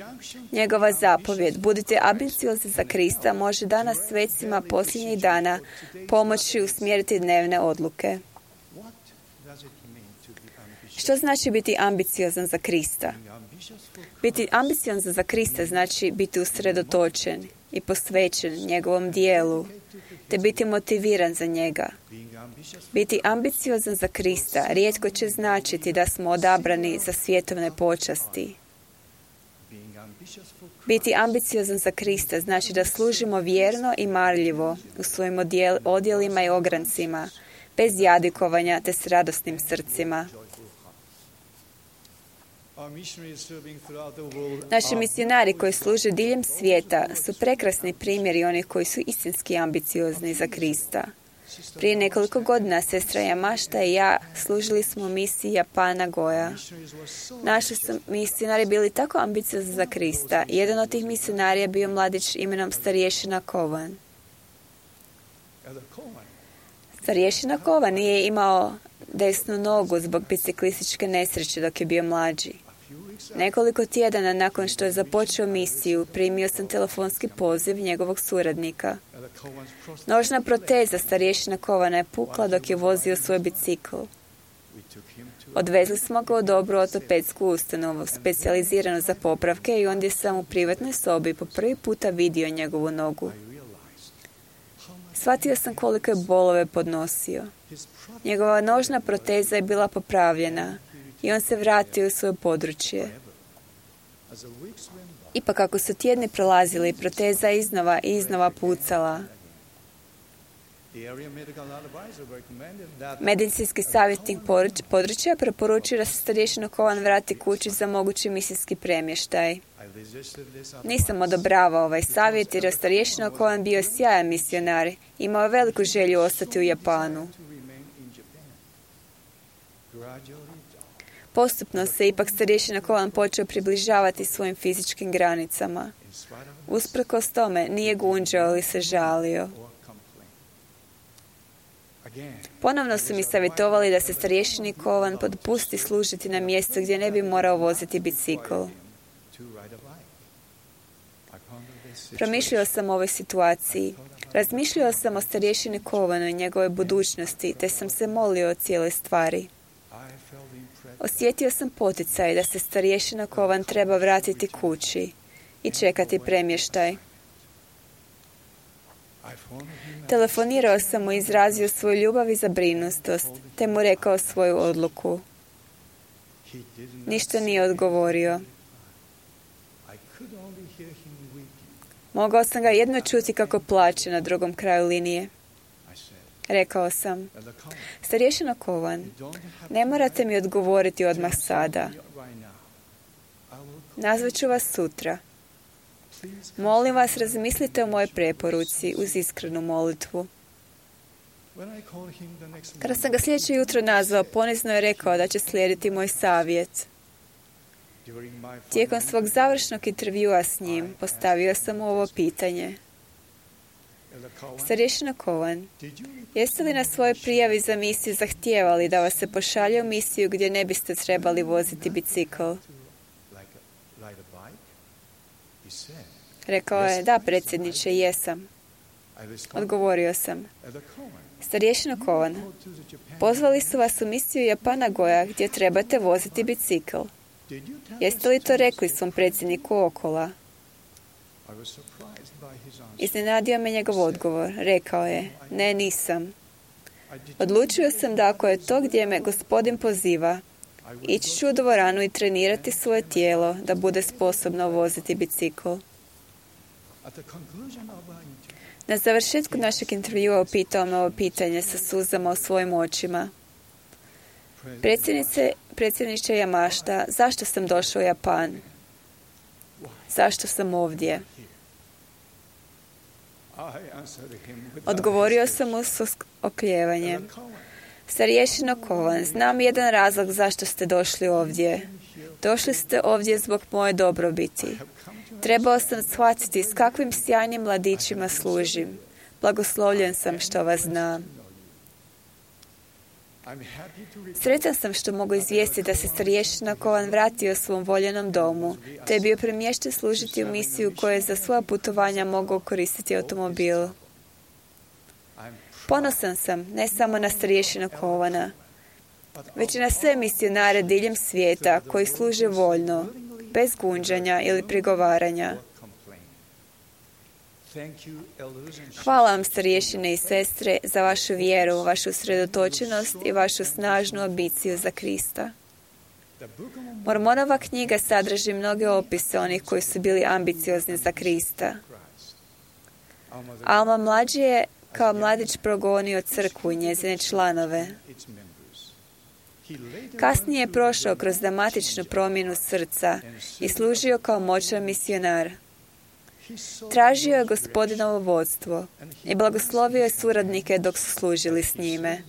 Njegova zapovjed, budite ambiciozni za Krista, može danas svecima posljednjih dana pomoći usmjeriti dnevne odluke. Što znači biti ambiciozan za Krista? Biti ambiciozan za Krista znači biti usredotočen i posvećen njegovom dijelu, te biti motiviran za njega. Biti ambiciozan za Krista rijetko će značiti da smo odabrani za svjetovne počasti. Biti ambiciozan za Krista znači da služimo vjerno i marljivo u svojim odjelima i ograncima, bez jadikovanja te s radosnim srcima. Naši misionari koji služe diljem svijeta su prekrasni primjeri onih koji su istinski ambiciozni za Krista. Prije nekoliko godina sestra Yamashita i ja služili smo u misiji Japana Goja. Naši su misionari bili tako ambiciozni za Krista. Jedan od tih misionarija je bio mladić imenom starješina Kovan. Starješina Kovan nije imao desnu nogu zbog biciklističke nesreće dok je bio mlađi. Nekoliko tjedana nakon što je započeo misiju, primio sam telefonski poziv njegovog suradnika. Nožna proteza starješina Kovana je pukla dok je vozio svoj bicikl. Odvezli smo ga u dobru ortopedsku ustanovu, specijaliziranu za popravke, i ondje sam u privatnoj sobi po prvi puta vidio njegovu nogu. Shvatio sam koliko je bolove podnosio. Njegova nožna proteza je bila popravljena i on se vratio u svoje područje. Ipak kako su tjedni prolazili, proteza je iznova i iznova pucala. Medicinski savjetnik područja preporučio da se starješina Kovan vrati kući za mogući misijski premještaj. Nisam odobravao ovaj savjet jer je starješina Kovan bio sjajan misionar. Imao je veliku želju ostati u Japanu. Postupno se ipak starješina Kovan počeo približavati svojim fizičkim granicama. Usprkos tome nije gunđao ili se žalio. Ponovno su mi savjetovali da se starješini Kovan dopusti služiti na mjestu gdje ne bi morao voziti bicikl. Promišljao sam o ovoj situaciji. Razmišljao sam o starješini Kovanu i njegove budućnosti, te sam se molio o cijeloj stvari. Osjetio sam poticaj da se starješina Kovan treba vratiti kući i čekati premještaj. Telefonirao sam mu i izrazio svoju ljubav i zabrinutost, te mu rekao svoju odluku. Ništa nije odgovorio. Mogao sam ga jedno čuti kako plače na drugom kraju linije. Rekao sam, starješino Kovan, ne morate mi odgovoriti odmah sada. Nazvat ću vas sutra. Molim vas, razmislite o mojoj preporuci uz iskrenu molitvu. Kada sam ga sljedeće jutro nazvao, ponizno je rekao da će slijediti moj savjet. Tijekom svog završnog intervjua s njim postavio sam mu ovo pitanje. Starješino Kovan, jeste li na svojoj prijavi za misiju zahtijevali da vas se pošalje u misiju gdje ne biste trebali voziti bicikl? Rekao je, da, predsjedniče, jesam. Odgovorio sam, starješino Kovan, pozvali su vas u misiju Japana Goja gdje trebate voziti bicikl. Jeste li to rekli svom predsjedniku Okola? Iznenadio me njegov odgovor. Rekao je, ne, nisam. Odlučio sam da ako je to gdje me Gospodin poziva, ići ću u dvoranu i trenirati svoje tijelo da bude sposobno voziti bicikl. Na završetku našeg intervjua upitao me ovo pitanje sa suzama u svojim očima. Predsjedniče Yamashita, zašto sam došao u Japan? Zašto sam ovdje? Odgovorio sam mu s okljevanjem. Starješino Kovan, znam jedan razlog zašto ste došli ovdje. Došli ste ovdje zbog moje dobrobiti. Trebao sam shvatiti s kakvim sjajnim mladićima služim. Blagoslovljen sam što vas znam. Sretan sam što mogu izvijestiti da se starješina Kovan vratio svom voljenom domu, te je bio premješten služiti u misiju koje je za svoja putovanja mogao koristiti automobil. Ponosan sam ne samo na starješinu Kovana, već i na sve misionare diljem svijeta koji služe voljno, bez gunđanja ili prigovaranja. Hvala vam, starješine i sestre, za vašu vjeru, vašu usredotočenost i vašu snažnu ambiciju za Krista. Mormonova knjiga sadrži mnoge opise onih koji su bili ambiciozni za Krista. Alma mlađi je kao mladić progonio crkvu i njezine članove. Kasnije je prošao kroz dramatičnu promjenu srca i služio kao moćan misionar. Tražio je Gospodinovo vodstvo i blagoslovio je suradnike dok su služili s njime.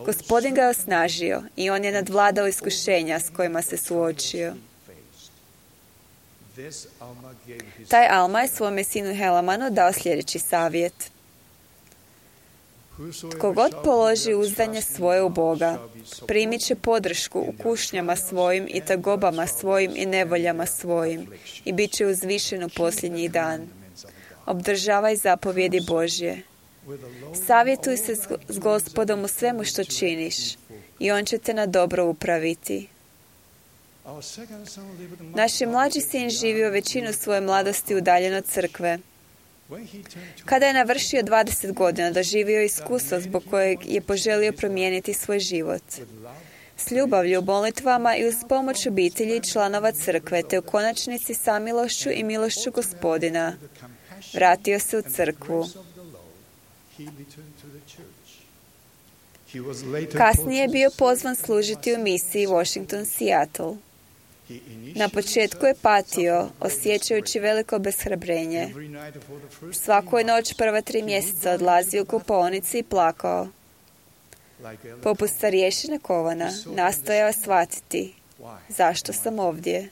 Gospodin ga je osnažio i on je nadvladao iskušenja s kojima se suočio. Taj Alma je svome sinu Helamanu dao sljedeći savjet. Tko god položi uzdanje svoje u Boga, primit će podršku u kušnjama svojim i tagobama svojim i nevoljama svojim i bit će uzvišen u posljednji dan. Obdržavaj zapovjedi Božje. Savjetuj se s Gospodom u svemu što činiš i on će te na dobro upraviti. Naš je mlađi sin živio većinu svoje mladosti udaljen od crkve. Kada je navršio 20 godina, doživio je iskustvo zbog kojeg je poželio promijeniti svoj život. S ljubavlju, molitvama i uz pomoć obitelji i članova crkve, te u konačnici samilošću i milošću Gospodina, vratio se u crkvu. Kasnije je bio pozvan služiti u misiji Washington-Seattle. Na početku je patio, osjećajući veliko obeshrabrenje. Svaku je noć prva 3 mjeseca odlazio u kupaonici i plakao. Poput starješine Kovana, nastojao shvatiti zašto sam ovdje.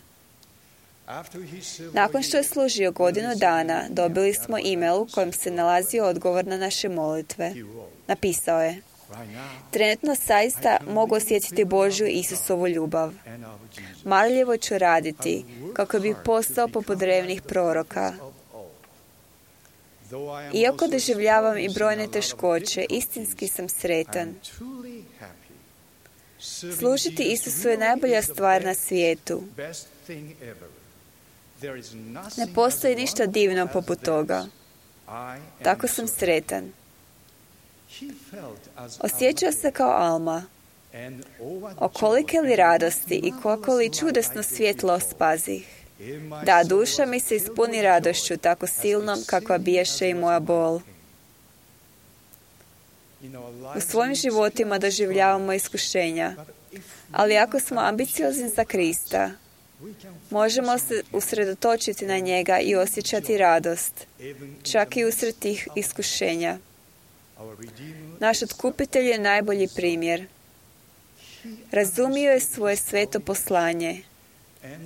Nakon što je služio 1 godinu dana, dobili smo e-mail u kojem se nalazio odgovor na naše molitve. Napisao je: trenutno zaista mogu osjetiti Božju i Isusovu ljubav. Marljivo ću raditi kako bi postao poput drevnih proroka. Iako doživljavam i brojne teškoće, istinski sam sretan. Služiti Isusu je najbolja stvar na svijetu. Ne postoji ništa divno poput toga. Tako sam sretan. Osjećao se kao Alma. O kolike li radosti i koliko li čudesno svjetlo spazih. Da, duša mi se ispuni radošću, tako silnom kakva biješe i moja bol. U svojim životima doživljavamo iskušenja, ali ako smo ambiciozni za Krista, možemo se usredotočiti na njega i osjećati radost, čak i usred tih iskušenja. Naš otkupitelj je najbolji primjer. Razumio je svoje sveto poslanje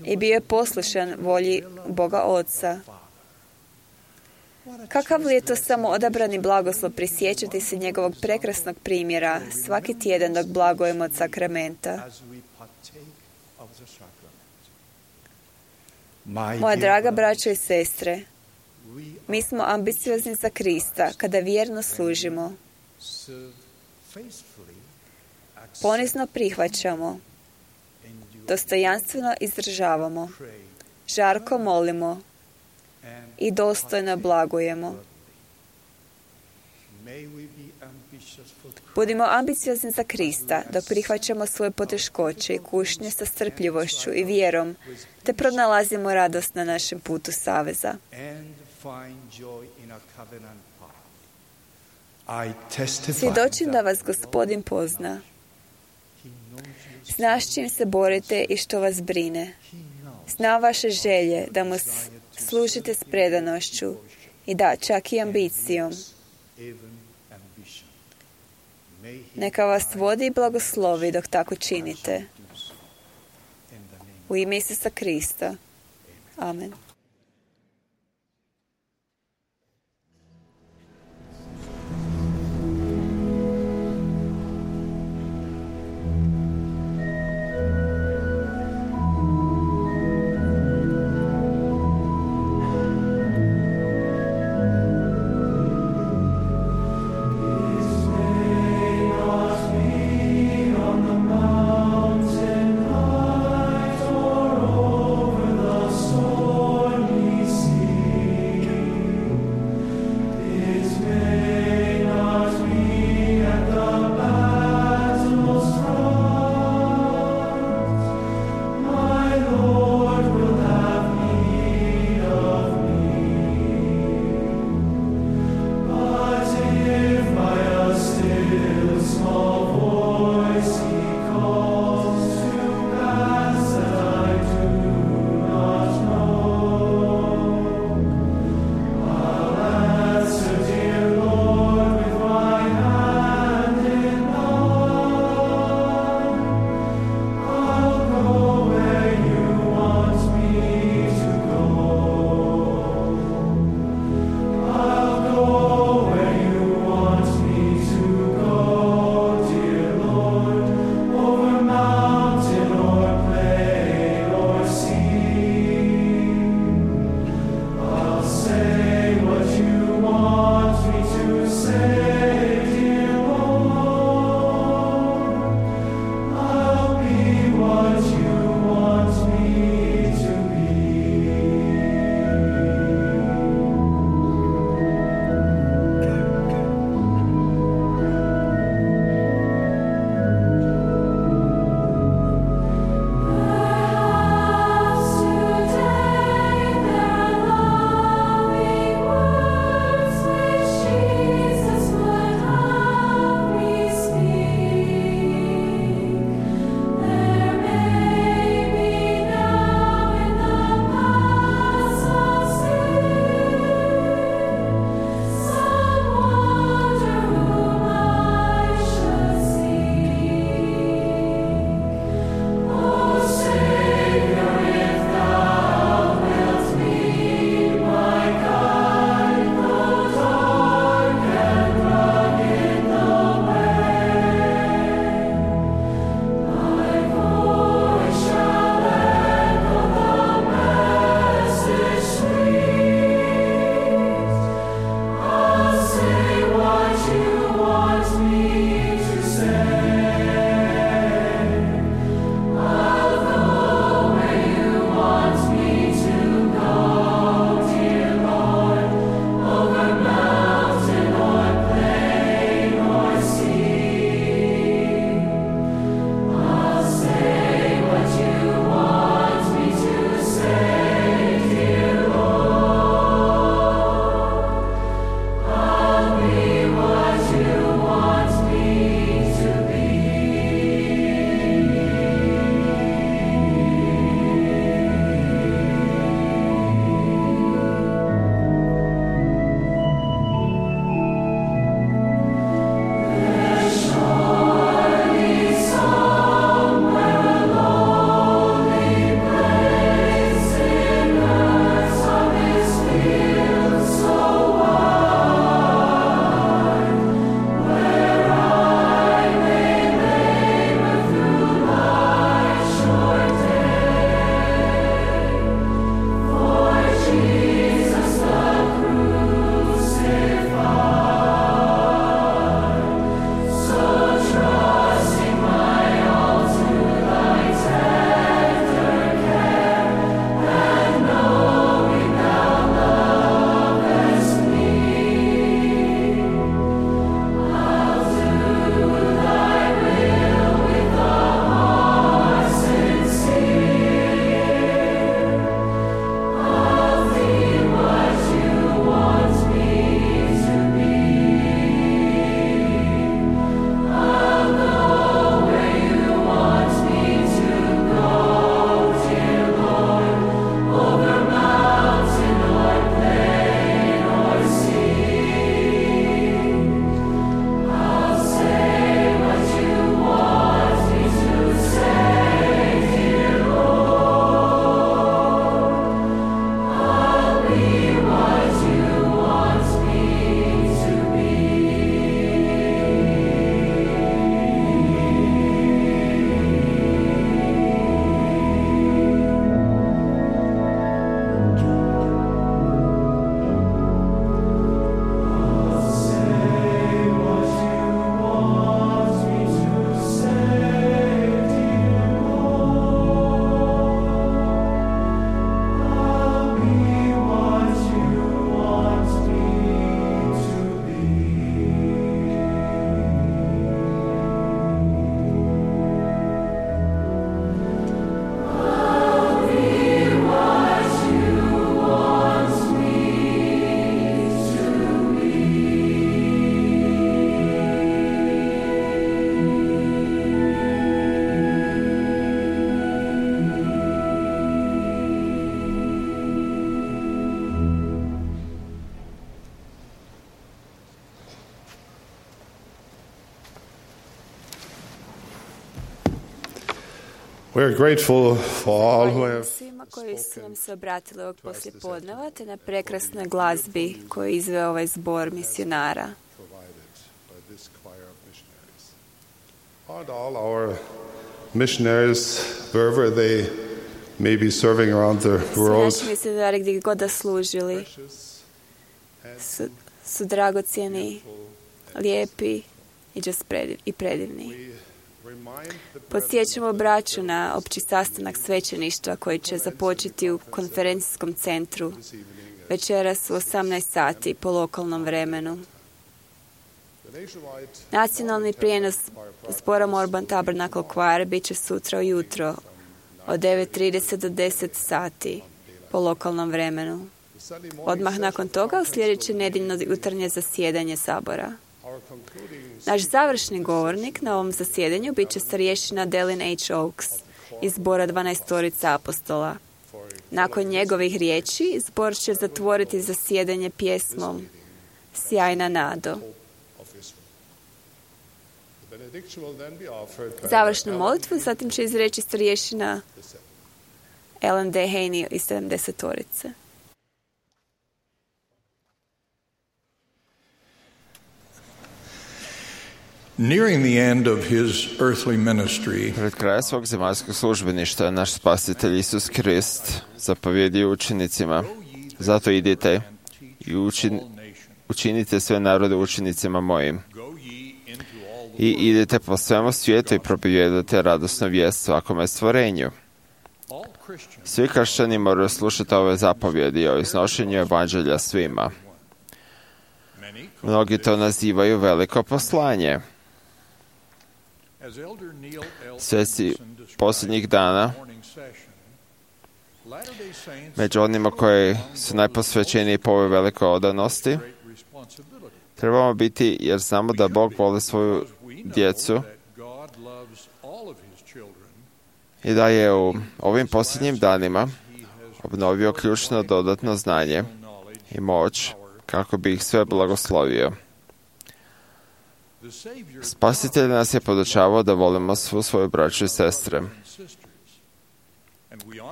i bio je poslušan volji Boga Oca. Kakav li je to samo odabrani blagoslov prisjećati se njegovog prekrasnog primjera svaki tjedan dok blagujemo od sakramenta. Moja draga braćo i sestre, mi smo ambiciozni za Krista kada vjerno služimo. Ponizno prihvaćamo, dostojanstveno izdržavamo, žarko molimo i dostojno blagujemo. Budimo ambiciozni za Krista, dok prihvaćamo svoje poteškoće i kušnje sa strpljivošću i vjerom, te pronalazimo radost na našem putu saveza. Svjedočim da vas Gospodin pozna. Zna s čim se borite i što vas brine. Zna vaše želje da mu služite s predanošću i da, čak i ambicijom. Neka vas vodi i blagoslovi dok tako činite. U ime Isusa Krista. Amen. Mountain height or over the soul. We're grateful for all who have svima koji su nam se obratili ovog poslijepodneva, te na prekrasnoj glazbi koju je izveo ovaj zbor misionara. And all our missionaries, wherever they may be serving around the world, Svi naši misionari gdje god da služili su dragocjeni, lijepi i predivni. Podsjećamo braću na opći sastanak svećeništva koji će započeti u konferencijskom centru večeras u 18 sati po lokalnom vremenu. Nacionalni prijenos zbora Morban Tabernacle Choir bit će sutra ujutro od 9:30 do 10 sati po lokalnom vremenu. Odmah nakon toga uslijedit će nedjeljno jutarnje zasjedanje sabora. Naš završni govornik na ovom zasjedanju bit će starješina Delin H. Oaks iz zbora 12 apostola. Nakon njegovih riječi, zbor će zatvoriti zasjedanje pjesmom Sjajna nado. Završnu molitvu zatim će izreći starješina Ellen D. Haney iz 70-orice. Nearing the end of his earthly ministry, Pred krajem svog zemaljskog službeništva naš spasitelj Isus Krist zapovjedio učenicima: zato idite i učinite sve narode učenicima mojim. I idete po svemu svijetu i propovijedate radosnu vijest svakome stvorenju. Svi kršćani moraju slušati ove zapovjedi o iznošenju evanđelja svima. Mnogi to nazivaju veliko poslanje. Sveci posljednjih dana, među onima koji su najposvećeniji po ovoj velikoj odanosti, trebamo biti, jer znamo da Bog voli svoju djecu i da je u ovim posljednjim danima obnovio ključno dodatno znanje i moć kako bi ih sve blagoslovio. Spasitelj nas je podučavao da volimo svu svoju braću i sestre.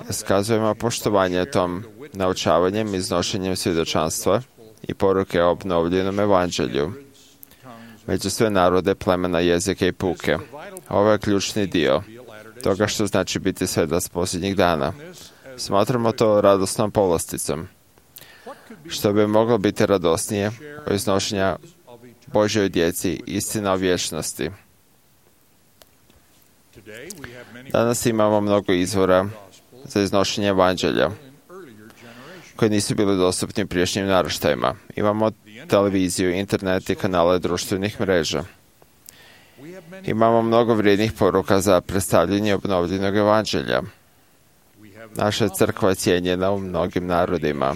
Iskazujemo poštovanje tom naučavanjem i iznošenjem svjedočanstva i poruke o obnovljenom evanđelju među sve narode, plemena, jezike i puke. Ovo je ključni dio toga što znači biti svjedoc posljednjih dana. Smatramo to radosnom povlasticom. Što bi moglo biti radosnije o iznošenja Božjoj djeci, istina o vječnosti. Danas imamo mnogo izvora za iznošenje evanđelja koji nisu bili dostupni prijašnjim naraštajima. Imamo televiziju, internet i kanale društvenih mreža. Imamo mnogo vrijednih poruka za predstavljanje obnovljenog evanđelja. Naša crkva je cijenjena u mnogim narodima.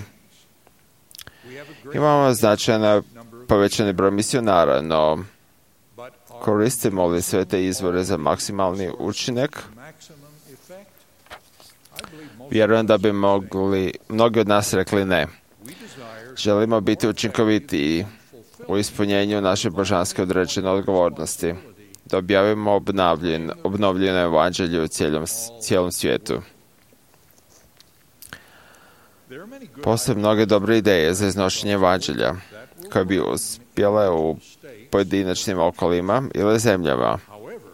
Imamo značajno povećani broj misionara, no koristimo li sve te izvore za maksimalni učinak? Vjerujem da bi mnogi od nas rekli ne. Želimo biti učinkovitiji u ispunjenju naše božanske određene odgovornosti, da objavimo obnovljeno evanđelje u cijelom svijetu. Postoje mnoge dobre ideje za iznošenje evanđelja koje bi uspjele u pojedinačnim okolima ili zemljama.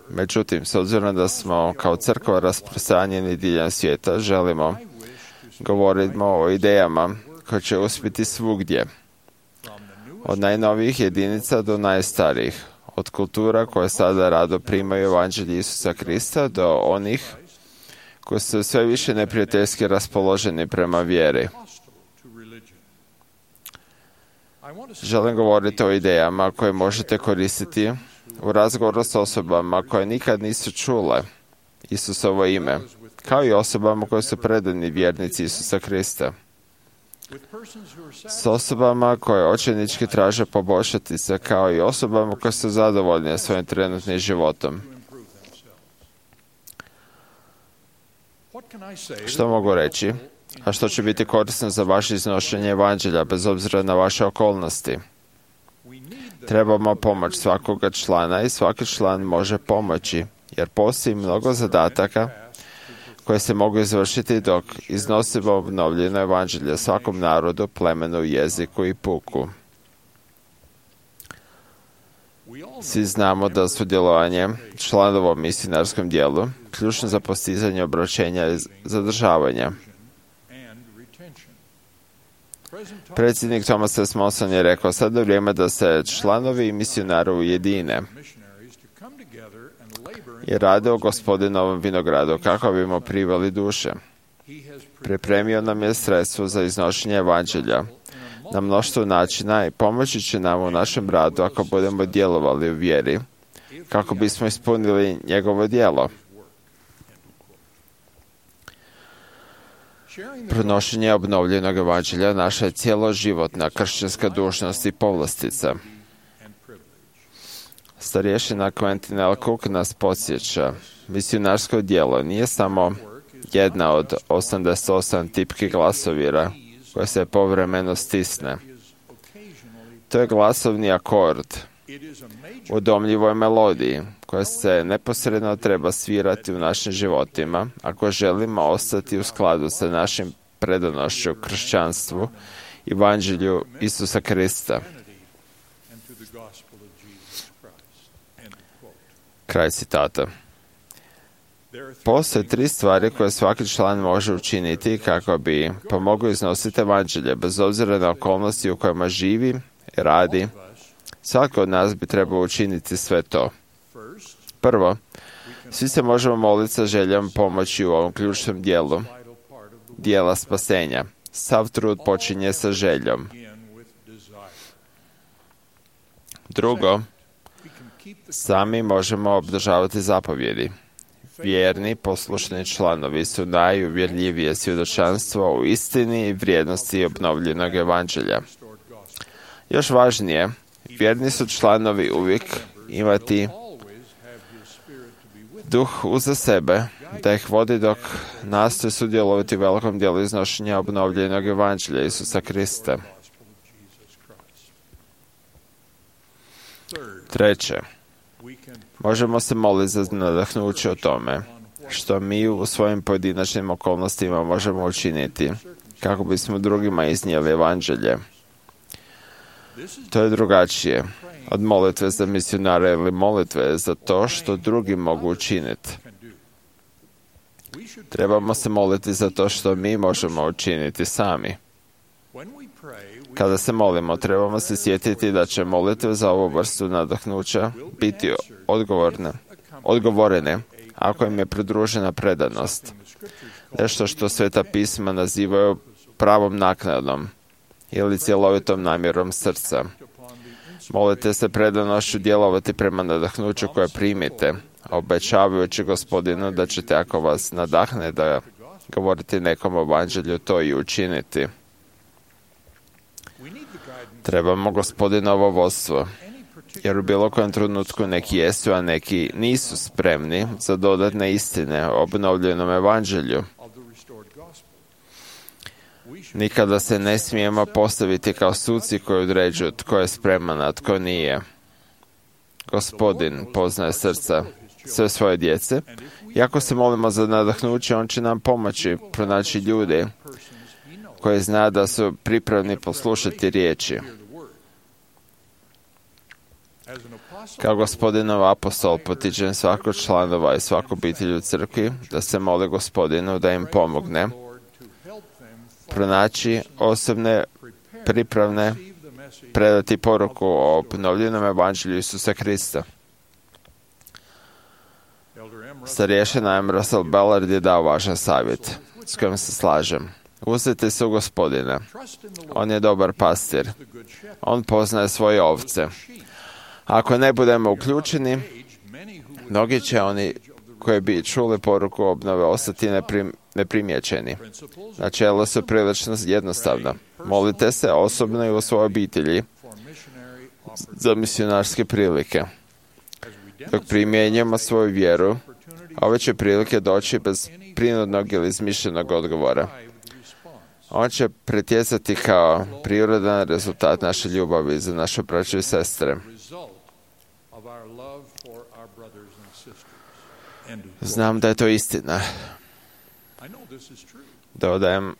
Međutim, s obzirom da smo kao crkva rasprostranjeni diljem svijeta, želimo govoriti o idejama koje će uspjeti svugdje. Od najnovijih jedinica do najstarijih. Od kultura koje sada rado primaju evanđelje Isusa Krista do onih koji su sve više neprijateljski raspoloženi prema vjeri. Želim govoriti o idejama koje možete koristiti u razgovoru s osobama koje nikad nisu čule Isusovo ime, kao i osobama koje su predani vjernici Isusa Krista. S osobama koje očajnički traže poboljšati se, kao i osobama koje su zadovoljne svojim trenutnim životom. Što mogu reći? A što će biti korisno za vaše iznošenje evanđelja, bez obzira na vaše okolnosti? Trebamo pomoć svakoga člana i svaki član može pomoći, jer postoji mnogo zadataka koje se mogu izvršiti dok iznosimo obnovljeno evanđelje svakom narodu, plemenu, jeziku i puku. Svi znamo da sudjelovanje članova u misionarskom dijelu ključno za postizanje obraćenja i zadržavanja. Predsjednik Thomas S. Monson je rekao: sada je vrijeme da se članovi misionari ujedine i rade u Gospodinovom vinogradu kako bimo priveli duše. Pripremio nam je sredstvo za iznošenje evanđelja na mnoštvo načina i pomoći će nam u našem radu ako budemo djelovali u vjeri, kako bismo ispunili njegovo djelo. Prenošenje obnovljenog evanđelja naša je cjeloživotna kršćanska dužnost i povlastica. Starješina Quentin L. Cook nas podsjeća: misionarsko djelo nije samo jedna od 88 tipki glasovira koja se povremeno stisne. To je glasovni akord u domljivoj melodiji koja se neposredno treba svirati u našim životima ako želimo ostati u skladu sa našim predanošću kršćanstvu i evanđelju Isusa Krista. Kraj citata. Postoje 3 stvari koje svaki član može učiniti kako bi pomogao iznositi evanđelje, bez obzira na okolnosti u kojima živi, radi. Svatko od nas bi trebao učiniti sve to. Prvo, svi se možemo moliti sa željom pomoći u ovom ključnom dijelu, dijela spasenja. Sav trud počinje sa željom. Drugo, sami možemo obdržavati zapovjedi. Vjerni, poslušni članovi su najuvjerljivije svjedočanstvo u istini i vrijednosti obnovljenog evanđelja. Još važnije, vjerni su članovi uvijek imati duh uza sebe, da ih vodi dok nastoje sudjelovati u velikom dijelu iznošenja obnovljenog evanđelja Isusa Krista. Treće, možemo se moliti za nadahnuće o tome što mi u svojim pojedinačnim okolnostima možemo učiniti kako bismo drugima iznijeli evanđelje. To je drugačije od molitve za misionare ili molitve za to što drugi mogu učiniti. Trebamo se moliti za to što mi možemo učiniti sami. Kada se molimo, trebamo se sjetiti da će molitve za ovu vrstu nadahnuća biti odgovorene ako im je pridružena predanost. Nešto što Sveta pisma nazivaju pravom naknadom ili cjelovitom namjerom srca. Molite se predanošću djelovati prema nadahnuću koje primite, obećavajući Gospodinu da ćete, ako vas nadahne da govorite nekom o evanđelju, to i učiniti. Trebamo Gospodinovo vodstvo, jer u bilo kojem trenutku neki jesu, a neki nisu spremni za dodatne istine o obnovljenom evanđelju. Nikada se ne smijemo postaviti kao suci koji određuju tko je spreman, a tko nije. Gospodin poznaje srca sve svoje djece i ako se molimo za nadahnuće, on će nam pomoći pronaći ljude koji zna da su pripravni poslušati riječi. Kao Gospodinov apostol potičem svakog članova i svaku obitelj u crkvi da se mole Gospodinu da im pomogne pronaći osobne pripravne predati poruku o obnovljenom evanđelju Isusa Krista. Starješina M. Russell Ballard je dao važan savjet s kojim se slažem. Uzdajte se u Gospodina. On je dobar pastir. On poznaje svoje ovce. Ako ne budemo uključeni, mnogi će oni koji bi čuli poruku obnove ostati neprimjećeni. Načela su prilično jednostavna. Molite se osobno i u svojoj obitelji za misionarske prilike. Dok primjenjujemo svoju vjeru, ove će prilike doći bez prinudnog ili izmišljenog odgovora. On će pretjecati kao prirodan rezultat naše ljubavi za naše braće i sestre. Znam da je to istina. Dodajem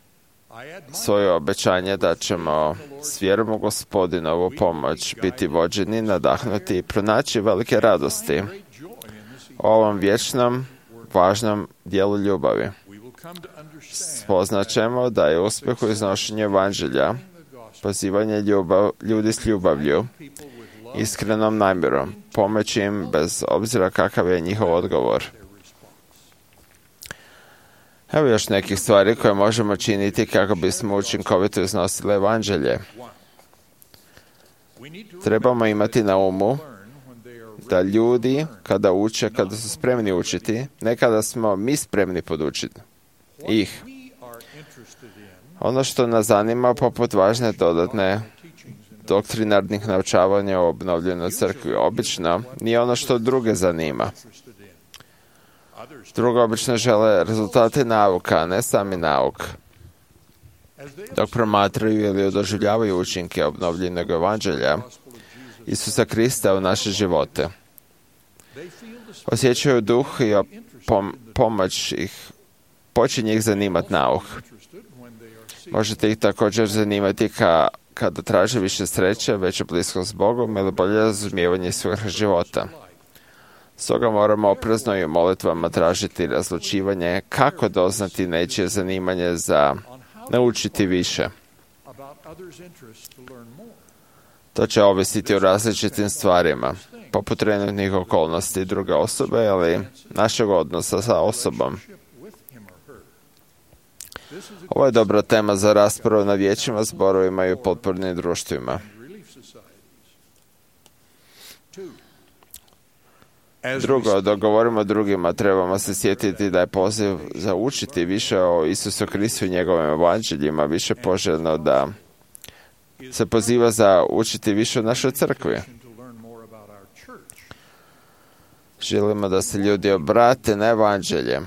svoje obećanje da ćemo s vjerom u Gospodinovu pomoć biti vođeni, nadahnuti i pronaći velike radosti o ovom vječnom, važnom dijelu ljubavi. Spoznaćemo da je uspjeh u iznošenju evanđelja, pozivanje ljudi s ljubavlju, iskrenom namjerom, pomoći im bez obzira kakav je njihov odgovor. Evo još nekih stvari koje možemo činiti kako bismo učinkovito iznosili evanđelje. Trebamo imati na umu da ljudi kada uče, kada su spremni učiti, ne kada smo mi spremni podučiti ih. Ono što nas zanima poput važne dodatne doktrinarnih naučavanja o obnovljenoj crkvi obično nije ono što druge zanima. Drugo obično žele rezultate nauka, a ne sami nauk. Dok promatraju ili doživljavaju učinke obnovljenog evanđelja Isusa Krista u naše živote, osjećaju duh i pomoć ih, počinje ih zanimati nauk. Možete ih također zanimati kada traže više sreće, veću bliskost s Bogom ili bolje razumijevanje svojeg života. Stoga moramo oprezno i u molitvama tražiti razlučivanje kako doznati nečije zanimanje za naučiti više. To će ovisiti o različitim stvarima, poput trenutnih okolnosti druge osobe, ali našeg odnosa sa osobom. Ovo je dobra tema za raspravu na vijećima, zborovima i u potpornim društvima. Drugo, dok govorimo drugima, trebamo se sjetiti da je poziv za učiti više o Isusu Kristu i njegovim evanđeljima više poželjno da se poziva za učiti više o našoj crkvi. Želimo da se ljudi obrate na evanđelje.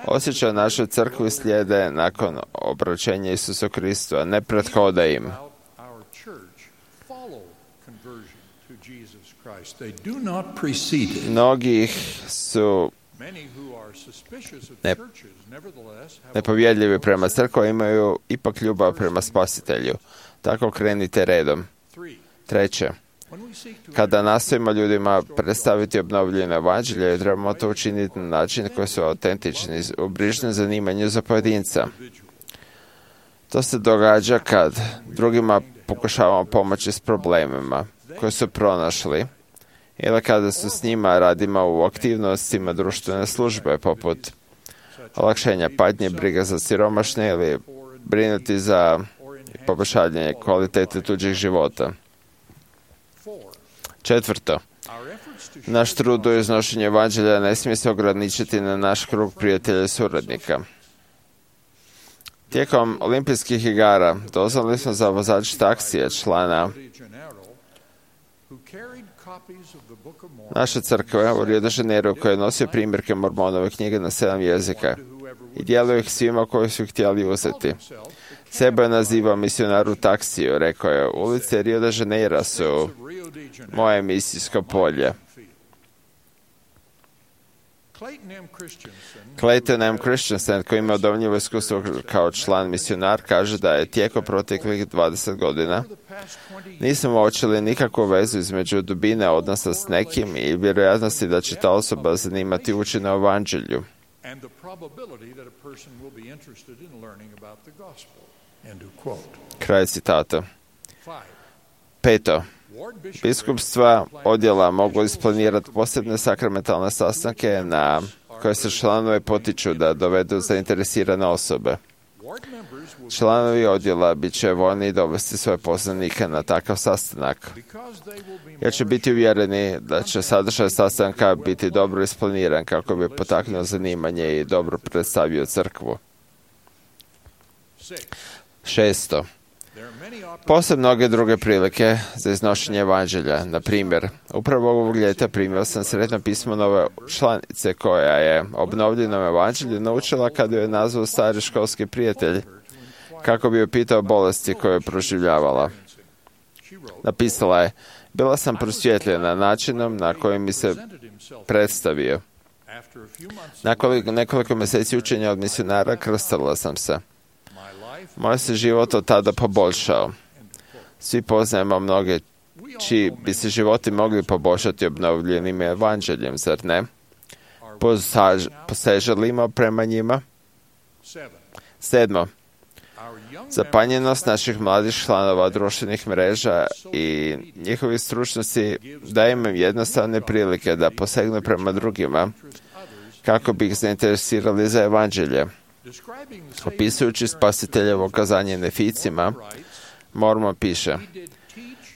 Osjećaj našoj crkvi slijede nakon obraćenja Isusu Kristu, a ne prethode im. Mnogi su nepovjedljivi prema crkvi, imaju ipak ljubav prema Spasitelju. Tako krenite redom. Treće, kada nastojimo ljudima predstaviti obnovljeno evanđelje, trebamo to učiniti na način koji su autentični, u brižnom zanimanju za pojedinca. To se događa kad drugima pokušavamo pomoći s problemima koje su pronašli, ili kada su s njima radimo u aktivnostima društvene službe, poput olakšenja patnje, briga za siromašne ili brinuti za poboljšanje kvalitete tuđih života. Četvrto, naš trud u iznošenju evanđelja ne smije se ograničiti na naš krug prijatelja i suradnika. Tijekom olimpijskih igara dozvolili smo za vozač taksija, člana naše crkve u Rio de Janeiro, koji je nosio primjerke Mormonove knjige na 7 jezika i dijelio ih svima koji su htjeli uzeti. Sebe je nazivao misionaru taksiju, rekao je, ulice Rio de Janeiro su moje misijsko polje. Clayton M. Christensen, koji ima odovnjivo iskustvo kao član misionar, kaže da je tijekom proteklih 20 godina nismo uočili nikakvu vezu između dubine odnosa s nekim i vjerojatnosti da će ta osoba zanimati učenje o evanđelju. Kraj citata. Peto. Biskupstva odjela mogu isplanirati posebne sakramentalne sastanke na koje se članovi potiču da dovedu zainteresirane osobe. Članovi odjela bit će voljni dovesti svoje poznanike na takav sastanak, jer će biti uvjereni da će sadržaj sastanka biti dobro isplaniran kako bi potaknuo zanimanje i dobro predstavio crkvu. Šesto. Postoje mnoge druge prilike za iznošenje evanđelja. Na primjer, upravo ovog ljeta primio sam sretno pismo nove članice koja je obnovljenom evanđelju naučila kada je nazvao stari školski prijatelj kako bi joj pitao bolesti koje je proživljavala. Napisala je, bila sam prosvjetljena načinom na koji mi se predstavio. Nakon nekoliko mjeseci učenja od misionara krstila sam se. Moj se život od tada poboljšao. Svi poznajemo mnoge čiji bi se životi mogli poboljšati obnovljenim evanđeljem, zar ne? Poseželimo prema njima? 7. Zapanjenost naših mladih članova društvenih mreža i njihovi stručnosti daje im jednostavne prilike da posegnu prema drugima kako bi ih zainteresirali za evanđelje. Opisujući spasiteljevo kazanje Neficima, Mormon piše: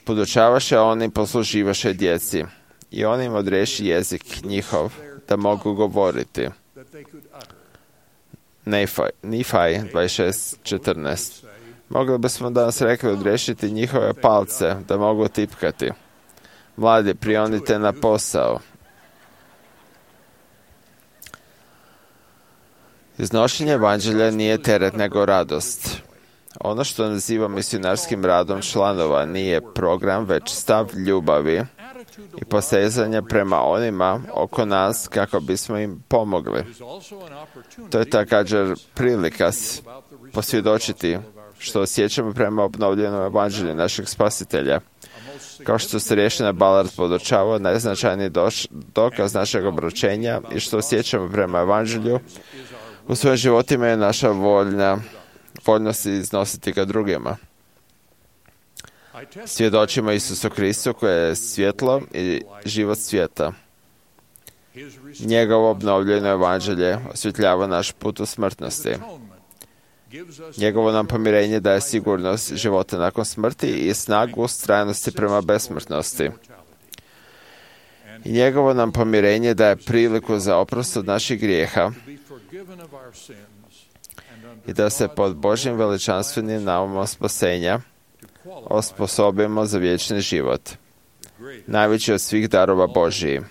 podučavaše oni, posluživaše djeci i on im odreši jezik njihov da mogu govoriti. Nephi 26:14. Mogli bismo danas rekli odrešiti njihove palce da mogu tipkati. Mladi, prionite na posao. Iznošenje evanđelja nije teret nego radost. Ono što nazivam misionarskim radom članova nije program, već stav ljubavi i posezanja prema onima oko nas kako bismo im pomogli. To je također prilika posvjedočiti što osjećamo prema obnovljenom evanđelju našeg spasitelja. Kao što se Rješina Ballard podučava, najznačajniji dokaz našeg obručenja i što osjećamo prema evanđelju u svojim životima je naša voljnost iznositi ga drugima. Svjedočimo Isusu Kristu koje je svjetlo i život svijeta. Njegovo obnovljeno evanđelje osvjetljava naš put u smrtnosti. Njegovo nam pomirenje daje sigurnost života nakon smrti i snagu ustrajnosti prema besmrtnosti. I njegovo nam pomirenje daje priliku za oprost od naših grijeha i da se pod Božjim veličanstvenim naumom spasenja osposobimo za vječni život, najveći od svih darova Božiji.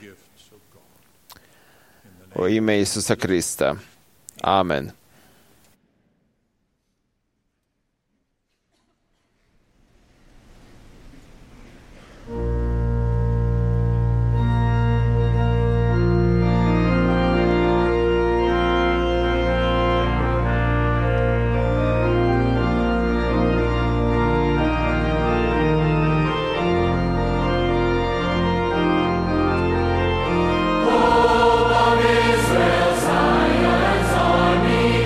U ime Isusa Krista. Amen. Israel, Zion's army.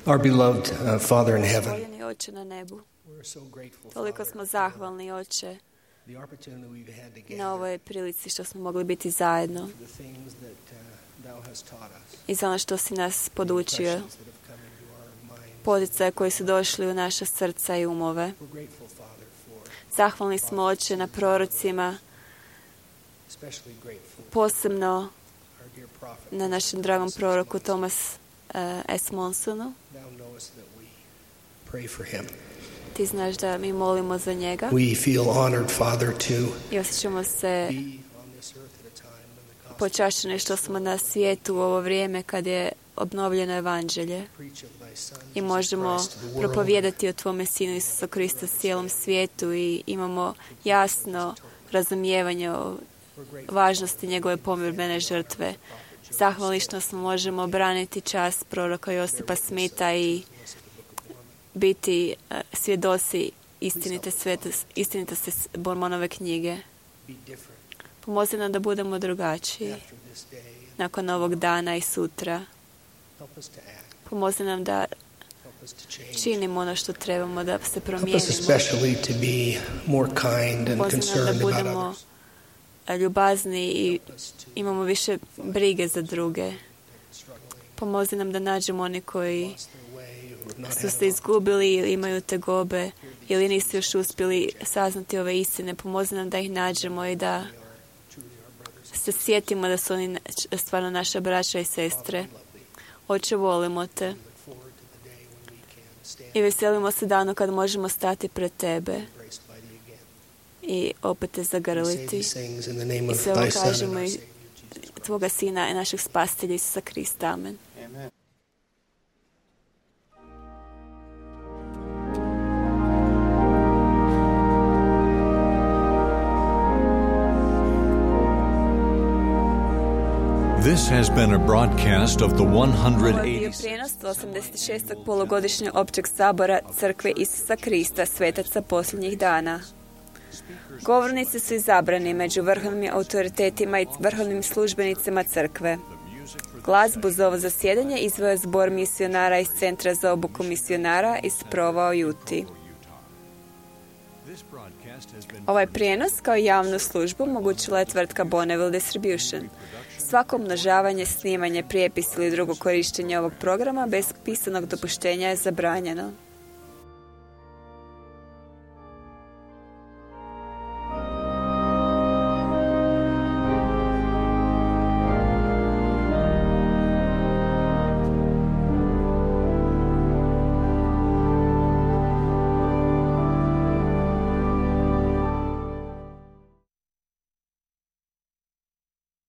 Our beloved Father in heaven, Voljeni Oče na nebu, we're so grateful, toliko Father, smo zahvalni, Oče, the opportunity we've had to na gather, ovoj prilici što smo mogli biti zajedno the things that Thou hast taught us, i za ono što si nas podučio, impressions that have come into our minds. poticaje koji su došli u naša srca i umove. We're grateful, Father, for Zahvalni smo, Oče, na prorocima, especially grateful posebno our dear prophet. na našem dragom proroku Thomas S. Monsonu. Thou knowest that we pray for him. Ti znaš da mi molimo za njega We feel honored, Father, to i osjećamo se be on this earth at a time when the gospel počašćeni što smo na svijetu u ovo vrijeme kad je obnovljeno evanđelje preach of thy Son, i Jesus možemo Christ, to the world. propovijedati o tvome Sinu Isusu Krista cijelom svijetu i imamo jasno razumijevanje o važnosti njegove pomirbene žrtve. Zahvalni što smo možemo braniti čast proroka Josipa Smitha i biti svjedoci istinitosti Mormonove knjige. Be different Pomozi nam da budemo drugačiji after this day. nakon ovog dana i sutra. Help us to act. Pomozi nam da Help us to change. činimo ono što trebamo da se Help us promijenimo. especially to be more kind and Pomozi nam da concerned about budemo others. ljubazni i Help us to imamo više brige za druge. struggling, Pomozi nam da nađemo oni koji lost their way, who have not su had se izgubili ili imaju tegobe ili nisu još uspjeli saznati ove istine. Pomozi nam da ih nađemo i da se sjetimo da su oni stvarno naša braća i sestre. Oče, volimo te look forward to the day when we can stand i veselimo se danu kad možemo stati pred tebe embraced by thee again. i opet te We say zagrliti. these things in the name I of sve ovo thy Son and kažemo our i Savior, Jesus. tvoga Sina i našeg spasitelja Isusa Krista. Amen. This has been a broadcast of the Ovo je bio 180th prijenos 86. polugodišnjeg općeg sabora Crkve Isusa Krista, svetaca posljednjih dana. Govornici su izabrani među vrhovnim autoritetima i vrhovnim službenicima crkve. Glazbu za ovo zasjedanje izveo je zbor misionara iz Centra za obuku misionara iz Provo u Juti. Ovaj prijenos kao javnu službu omogućila je tvrtka Bonneville Distribution. Svako umnožavanje, snimanje, prijepis ili drugo korištenje ovog programa bez pisanog dopuštenja je zabranjeno.